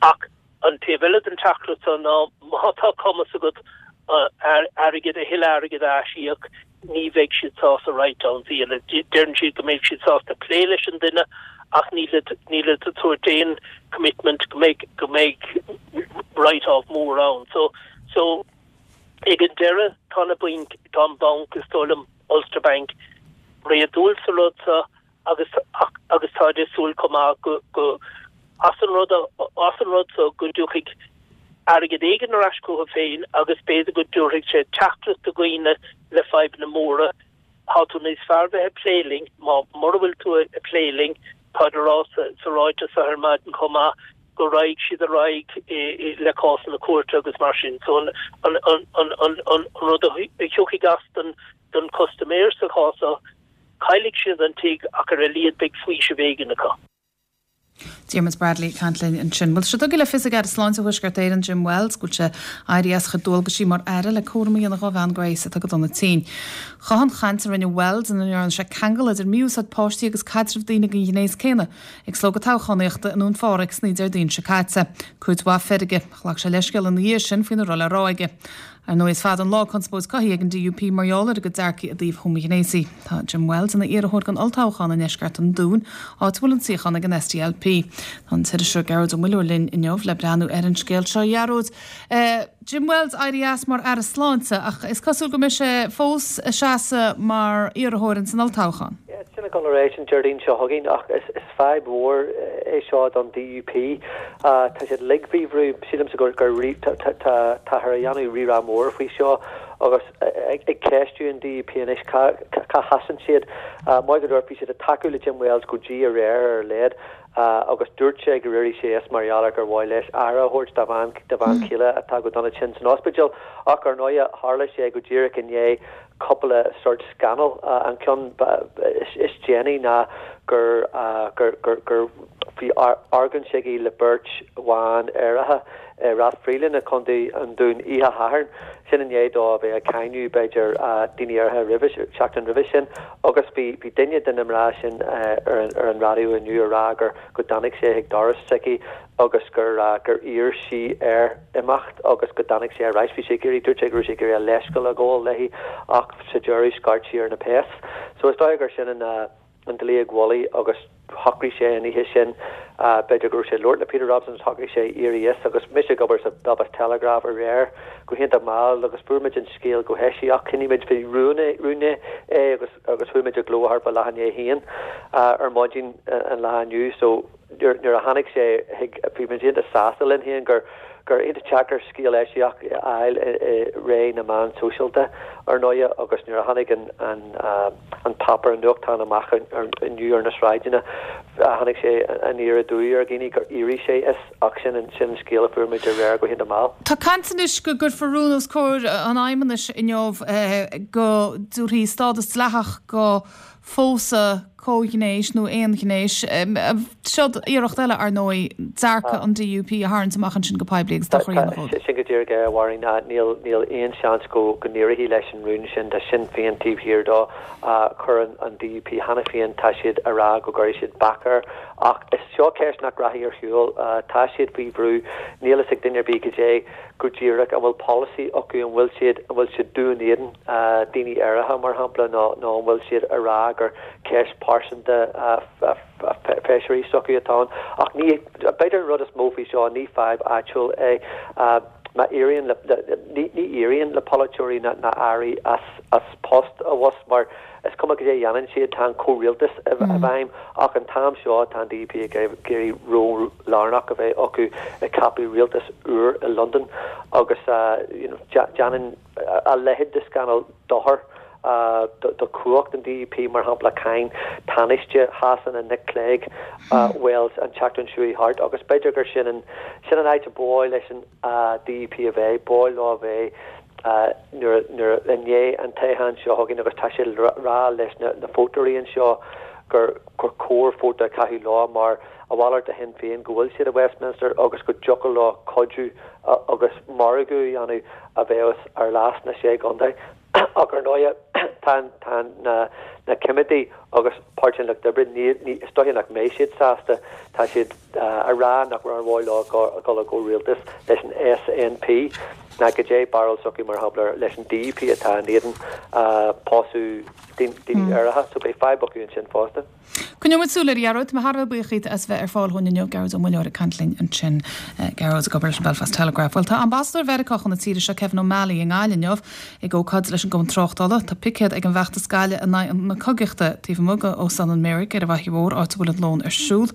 Ach An taobh eile den teachtaireacht seo ná má tá cumas agat airgead, a thuilleadh airgid a aisíoc, ní bheidh siad sásta write-downs a dhéanamh. Deireann siad go mbeidh siad sásta plé leis an duine ach nílid nílid ag tabhairt aon commitment go mbeidh go mbeidh write-off mór ann. So so ag an deireadh tá na bainc, tá an banc, is dóigh liom Ulster Bank, réadúil sa rud seo agus agus táid ag súil chomh maith go go as an rud as an rud so go dtiocfaidh airgead éigin ar ais chucu féin agus b'fhéidir go dtabharfaidh sé teachtaireacht do dhaoine le fadhbanna móra, tá tú níos fearr bheith ag plé linn, má mura bhfuil tú ag plé linn, táid a rá sa sa ráiteas seo ar maidin chomh maith go raghaidh siad ar aghaidh le cásanna cúirte agus mar sin. So an an an an an an rud a thiocfaidh as don don custaiméir sa chás seo, Caillfidh siad an tigh ach ar a laghad beidh faoiseamh éigin acu.
Diarmuid Bradley ag caint linn ansin. Bhuel, tá sé tugtha le fios ag Aire Sláinte Thuaisceart Éireann, Jim Wells, go bhfuil sé ag éirí as a chuid dualgaisí mar Aire le cúram a dhéanamh dhá bhean Grace atá go dona tinn. Chothaigh an chaint a rinne Wells ina ndearna sé ceangal idir mí-úsáid páistí agus caidreamh daoine den ghnéas céanna ag slógadh toghchánaíochta i nDún Phádraig san Déardaoin seo caite. Cuid mhaith feirge. Ghlac sé leithscéal ina dhiaidh sin faoina raibh le rá aige. Ar ndóigh, is fada an lá conspóid cothaithe ag an DUP mar gheall ar a gcuid dearcaí i dtaobh homaighnéasaigh. Tá Jim Wells ina iarrthóir don olltoghchán i ndeisceart an Dúin, áit a bhfuil an suíochán ag an SDLP. Tá an t-iriseoir Gearóid Ó Muilleoir linn inniu le breathnú ar an scéal seo. A Ghearóid, Jim Wells éirithe as mar Aire Sláinte ach is cosúil go mbeidh sé fós ag seasamh mar iarrthóir ins an olltoghchán.
Yeah, sin ag dul ar aghaidh an Déardaoin seo chugainn ach is fadhb mhór é seo don DUP. Tá siad uilig faoi bhrú. Sílimse gur táthar a dhéanamh rírá mór faoi seo agus ag ceistiú an DUP anois cá sheasann siad. Maith go leor, bhí siad ag tacú le Jim Wells go dtí aréir ar a laghad agus dúirt sé gur éirigh sé as mar gheall ar gur mhaith leis aire a thabhairt dá bhean dá bhean chéile atá go dona tinn san ospidéal. Ach ar ndóighe, tharla sé go díreach i ndiaidh cúpla sórt scannal. An ceann is déanaí ná gur gur gur gur bhí argóint aige le beirt bhan aeracha i Rathfriland i gContae an Dúin oíche Shathairn. Sin i ndiaidh dó a bheith ag cáineadh, b'fhéidir, daoine áirithe roimhe, seachtain roimhe sin. Agus bhí bhí duine de na mná sin ar an ar an raidió inniu a rá gur go dtáinig sé chuig doras s'aici agus gur gur iarr sí air imeacht agus go dtáinig sé ar ais. Bhí sé ag iarraidh, dúirt sé go raibh sé ag iarraidh a leithscéal a ghabháil léi ach sa deireadh scairt sí ar na péas. So is dóigh gur sin an an dlaíóg mhullaigh agus shocraigh sé an oíche sin, b'fhéidir go raibh sé ag labhairt le Peter Robinson, shocraigh sé éirí as agus mise ag obair sa Belfast Telegraph aréir go hiontach mall agus fuair muid an scéal go heisiach, choinnigh muid faoi rún é agus agus chuaigh muid i gcló thart fá leath i ndiaidh a haon ar maidin an lá inniu so nuair a tháinig sé chuig, bhí muid iontach sásta linn féin gur gur iontach deacair scéal eisiach a fháil i ré na meán sóisialta, ar ndóighe, agus nuair a tháinig an an an páipéar, an nuachtán amach inniu ar na sráideanna, tháinig sé aniar aduaidh ar dhaoine gur éirigh sé as, ach sin an sin an scéal a fuair muid aréir go hiontach mall.
Tá caint anois go gcuirfear rún os comhair an Fheidhmeannais inniu go dtabharfaí stádas dleathach go phósadh comhghnéis nó aonghnéis. Seod iarracht eile, ar ndóigh, dearcadh an DUP a tharraingt amach ansin go poiblí agus dochar a dhéanamh dóibh.
Sin go díreach é, a Mháirín. Níl níl aon seans go go n-éireoidh leis an rún sin. Tá Sinn Féin taobh thiar dó. Chuir an DUP cheana féin, tá siad a rá go gcuirfidh siad bac air. Ach is seo ceist nach rachaidh ar shiúl. Tá siad faoi bhrú. Níl fhios ag duine ar bith goidé go díreach an bhfuil polasaí acu, an bhfuil siad, an bhfuil siad dubh in éadan daoine áirithe, mar shampla, nó nó an bhfuil siad a rá gur ceist pearsanta feisirí s'acu atá ann. Ach ní, b'fhéidir an rud is mó faoi seo, ní fadhb áitiúil é. Má éiríonn le, ní ní éiríonn le polaiteoirí ná ná airí as as post abhus mar is cuma cad é a dhéanann siad, tá an comhrialtas i bhfeidhm ach an t-am seo tá an DUP ag iarraidh ról lárnach a bheith acu ag ceapadh rialtas úr i Londain agus you know déanann a leithéid de scannal dochar do chumhacht an DUP, mar shampla cháin Tánaiste Shasana Nick Clegg Wells an tseachtain seo thart agus b'fhéidir gur sin an sin an áit a ba mhaith leis an DUP a bheith, ba mhaith leo a bheith nuair nuair i ndiaidh an toghcháin seo chugainn agus tá siad ag rá leis na na vótóirí anseo gur gur cóir vóta a chaitheamh leo mar a mhalairt de Shinn Féin go bhfuil siad i Westminster agus go dtiocfadh leo cuidiú agus margadh a dhéanamh a bheas ar leas na Sé Chontae. Ach ar ndóighe tá tá na na coimeádaigh agus Páirtí an Lucht Oibre ní ní is dóiche nach mbeidh siad sásta. Tá siad a rá nach raibh ar mhaith leo dul i gcomhrialtas leis an SNP ná goidé barúil s'acu mar shampla leis an DUP atá in éadan pósadh daoine áirithe so beidh fadhb acu ansin fosta.
Coinneoidh muid súil air, a Ghearóid. Tá mé thar a bheith buíoch díot as bheith ar fáil dhúinn inniu. Gearóid Ó Muilleoir ag caint linn ansin. Gearóid ag obair leis an Belfast Telegraph. Bhuel, tá ambasadóir Mheiriceá chun na tíre seo, Kevin O'Malley, i nGaillimh inniu ag ócáid leis an gCumann Tráchtála. Tá picéad ag an bhfeachtas Gaillimh in aghaidh na cogaíochta taobh amuigh de Óstán an Mheiric ar an bhFaiche Mhór, áit a bhfuil an lón ar siúl.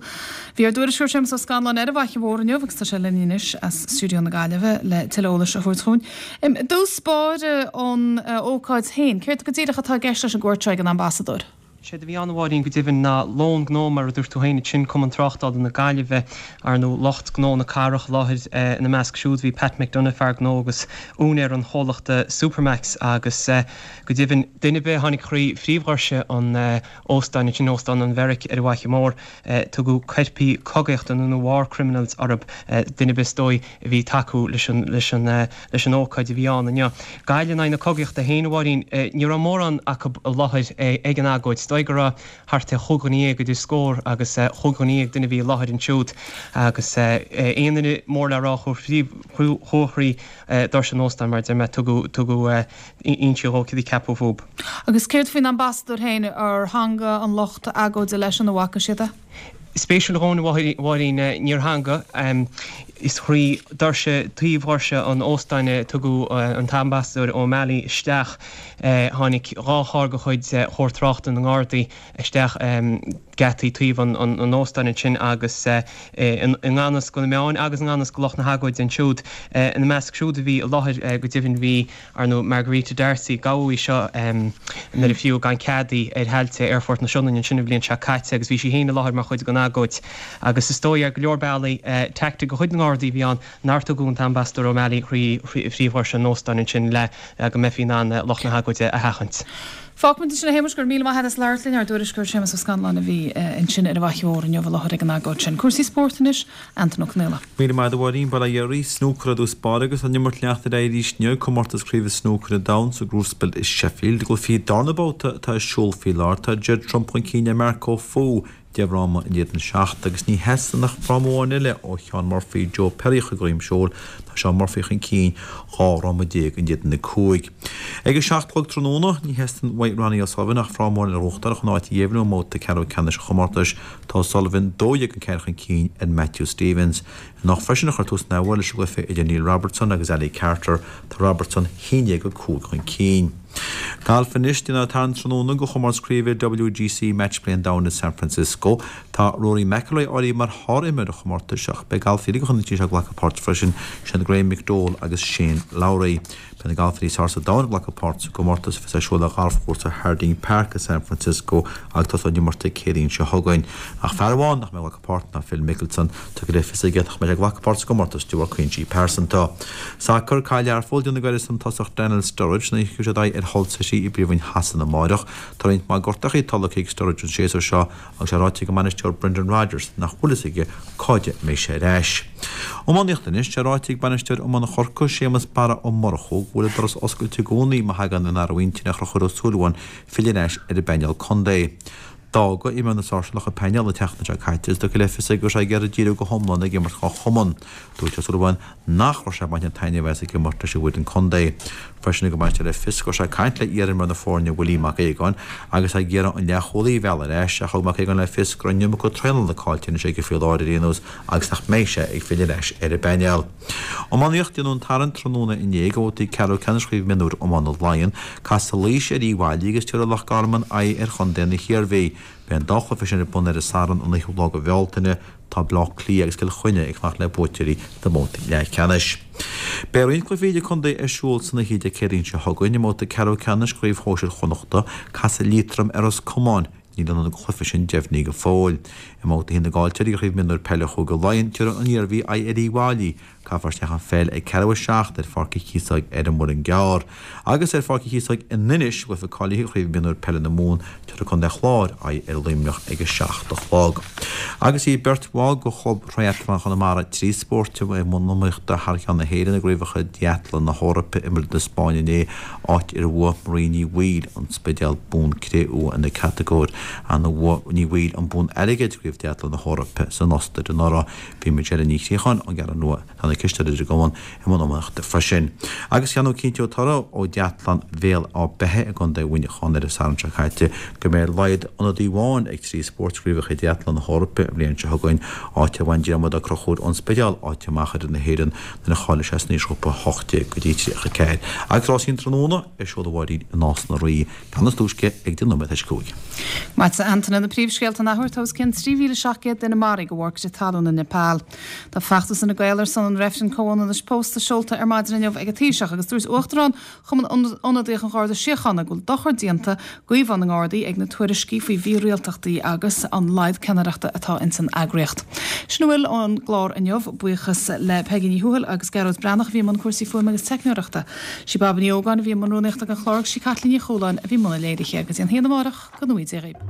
Bhí ár dtuairisceoir Séamus Ó Scanláin ar an bhFaiche Mhór inniu agus tá sé linn anois as stiúideo na Gaillimhe le tuilleadh eolais a thabhairt chugainn. I dtús báire an ócáid féin, céard go díreach atá i gceist leis an gcuairt seo ag an ambasadóir?
Séard a bhí ann, a Mháirín, go deimhin, ná lón gnó, mar a dúirt tú féin ansin, Cumann Tráchtála na Gaillimhe, ar ndóigh lucht gnó na cathrach i láthair. Ina measc siúd bhí Pat McDonagh, fear gnó agus úinéir an chomhlachta Supermac's agus go deimhin duine ar bith a tháinig thrí phríomhdhoirse an óstáin ansin, Óstán an Mheiric ar an bhFaiche Mhór, tugadh coirpigh cogaíochta nó war criminals orthu, duine ar bith is dóigh a bhí ag tacú leis an leis an leis an ócáid a bhí ann inniu. Gaillimh in aghaidh na cogaíochta féin, a Mháirín, ní raibh mórán acu i láthair ag an agóid. Is dóigh go raibh thart ar chúig dhuine dhéag, idir scór agus chúig dhuine dhéag duine a bhí i láthair ansiúd agus aon duine mór le rá a chuaigh thrí doirse an óstáin, mar a deir mé, tugadh tugadh inse dhó céard a ceapadh fúb.
Agus céard faoin ambasadóir féin, ar theanga an lucht agóide leisean, an bhfaca siad é?
Spéisiúil a Mháirín, níor theanga. Is thrí doirse, taobh dhoirse an óstáin a tugadh an tAmbasadóir O'Malley isteach. Tháinig dhá charr de chuid Chór Tráchta na nGardaí isteach geataí taobh an óstáin ansin agus i ngan fhios do na meáin agus i ngan fhios do lucht na hagóide ansiúd. Ina measc siúd a bhí i láthair go deimhin bhí ar ndóigh Margarita D'Arcy, gabhadh í seo nuair a fiú gan cead í ar thailte Aerfort na Sionainne ansin an bhliain seo caite agus bhí sí féin i láthair mar chuid den agóid agus is dóigh ar go leor bealaí teaictic de chuid na nGardaí a bhí ann nár tugadh an tAmbasadóir O'Malley thrí phríomhdhoirse an óstáin ansin le go mbeifí in ann lucht na hagóide a sheachaint.
Fágfaimid ansin é a Shéamais, go raibh míle maith agat as labhairt linn, ár dtuairisceoir Séamus Ó Scanláin a bhí ansin ar an bhFaiche Mhór inniu i láthair ag an agóid sin. Cúrsaí spóirt anois, Antain Ó Conaola.
Míle maith agat a Mháirín, bail ó Dhia oraibh. Snúcar i dtús báire agus an imirt ag leanacht ar aghaidh arís inniu, comórtas craoibhe snúcair an domhain sa gCrucible i Sheffield. I gcluichí darna babhta atá ar siúl faoi láthair, tá Judd Trump chun cinn ar Marco Fu deich bhfráma in éadan seacht agus ní theastaíonn ach fráma amháin eile ó Shaun Murphy Joe Perry a chur de dhroim seoil. Tá Shaun Murphy chun cinn dhá fhráma déag in éadan a cúig. Ag a seacht a chlog tráthnóna, ní theastaíonn uaidh Ronnie O'Sullivan ach fráma amháin eile a ghnóthachtáil chun áit a dheimhniú i mbabhta ceathrú ceannais an chomórtais. Tá O'Sullivan dó dhéag a ceathair chun cinn ar Matthew Stevens. Anocht freisin a chuir tús an leis an gcluiche idir Neil Robertson agus Ali Carter. Tá Robertson haon déag a cúig chun cinn. Galf anois, Dé Sathairn tráthnóna do chomórtas craoibhe WGC Match Play an Domhain i San Francisco. Tá Rory McIlroy áirithe mar shár-imreoir an chomórtais ach beidh galfaí eile de chuid na tíre seo ag glacadh páirt freisin, sin Graham McDowell agus Shane Lowry. Beidh na galfairí is fearr sa domhan ag glacadh páirt sa gcomórtas a bheas ar siúl ar ghalfchúrsa Harding Park i San Francisco agus tosóidh an imirt Dé Céadaoin seo chugainn. Ach fear amháin nach mbeidh ag glacadh páirt ná Phil Mickelson, tugtha le fios aige nach mbeidh sé ag glacadh páirt sa gcomórtas de bharr cúinsí pearsanta. Sacar, Caithfidh Learpholl déanamh gairid don tosach Daniel Sturridge nuair a thiocfaidh siad aghaidh ar Hull City trí i bpríomhroinn Shasana amáireach. Tá roinnt mhaith gortachaí tolgtha ag Sturridge an séasúr seo agus é ráite ag an mbainisteoir Brendan Rodgers nach bhfuil fhios aige cáide a mbeidh sé ar ais. Iománaíocht anois, tá ráite ag bainisteoir iomána Chorcaí, Séamus Barra Ó Murchú, go bhfuil an doras oscailte i gcónaí má thagann an athrú intinne ar Chonchúr Ó Súilleabháin filleadh ar ais ar an bpainéal contae. D'fhág iomána Sóisearach an painéal an tseachtain seo caite is tugtha le fios aige go raibh sé ag iarraidh díriú go hiomlán ag imirt dhá chumann. Dúirt Ó Súilleabháin nach raibh sé ag baint taitneamh as ag imirt leis an bhfoireann contae. Freisin thug an bainisteoir le fios go raibh sé ag caint le hiar-imreoir na foirne Willie Mac Aogáin agus é ag iarraidh an leathchúlaí a mhealladh ar ais ach thug Mac Aogáin le fios go raibh an iomarca traenála caillte anois aige faoi láthair ar aon nós agus nach mbeidh sé ag filleadh ar ais ar an bpainéal. Iománaíocht, Déanadh an tarraingt tráthnóna inné do bhabhtaí ceathrú ceannais Chraobh Mionúir Iomána Laighean. Casfaidh Laois ar Uíbh Fhailí agus tabharfaidh Loch Garman aghaidh ar chontae na hIarmhí. Beidh an dá chluiche sin ar bun ar an Satharn an ochiú lá de Bhealtaine. Tá Baile Átha Cliath agus Cill Chainnigh ag fanacht le buaiteoirí na mbabhtaí leathcheannais. Beidh roinnt cluichí idir-chontae ar siúl san oíche Dé Céadaoin seo chugainn. I mbabhta ceathrú ceannais Chraobh Shóisir Chonnachta, casfaidh Liatroim ar Ros Comáin. Níl ionad an chluiche sin deimhnithe go fóill. I mbabhta a haon na gcaillteoirí de Chraobh Mionúir Peile Chúige Laighean, tabharfaidh an Iarmhí aghaidh ar Uíbh Fhailí. Caithfear isteach an pheil ag ceathrú a seacht ar Pháirc an Chíosóig ar an Muileann gCearr. Agus ar Pháirc an Chíosóig in Inis, i gcluiche cáilithe Chraobh Mionúir Peile na Mumhan, tabharfaidh Contae an Chláir aghaidh ar Luimneach ag a seacht a chlog. Agus bhí beirt bhall de Chlub Thriathlon Chonamara trí spóirt i mbun iomaíochta thar cheann na hÉireann i gCraobhacha Triathlon na hEorpa i Madrid na Spáinne inné, áit ar bhuaigh Marie Ní Bhaoill, An Spidéal, bonn cré-umha ina catagóir. Ann bhuaigh Ní Bhaoill an bonn airgid i gCraobh Triathlon na hEorpa san Ostair anuraidh. Bhí Michelle Ní Chríocháin ón gCeathrú Rua, atá ina cisteoir ar an gcumann, i mbun iomaíochta freisin. Agus cheann cinnteoidh toradh ó Dhéathlán Bhéal Átha Beithe i gContae Mhuineacháin ar an Satharn seo caite go mbeidh ar a laghad ionadaí amháin ag trí spóirt i gCraobhacha Triathlon na hEorpa an bhliain seo chugainn, áit ar bhain Diarmuid Ó Conchúir ón Spidéal áit amach ar fhoireann na hÉireann nuair a cháiligh sé san aoisghrúpa a hocht déag go dtí tríocha ceathair. Agus rásaí an tráthnóna ar siúl a Mháirín i Nás na Rí gan is túisce ag deich nóiméad tar éis a cúig.
Maith a Antaine, na príomhscéalta an athuair, tá os cionn trí mhíle seacht gcéad duine maraithe de bharr crith talún i Nepal. Tá feachtas Fhine Gael ar son an reifrinn comhionannais pósta seolta ar maidin inniu ag an Taoiseach agus dúirt Uachtarán Chumann Ionadaíoch an Gharda Síochána go bhfuil dochar déanta d'íomhá na nGardaí ag na tuairiscí faoi mhírialtachtaí agus an laghad ceannaireachta atá ins an eagraíocht. Sin a bhfuil ón gclár inniu. Buíochas le Peigí Ní Thuathail agus Gearóid Breathnach a bhí i mbun cúrsaí fuaime agus teicneoireachta. Sí Baba Ní Ógáin a bhí i mbun rúnaíochta den chlár agus sí Caitlín Ní Chualáin a bhí i mbun an léirithe. Go dtí an haon amárach, go ngnóthaí Dia dhaoibh.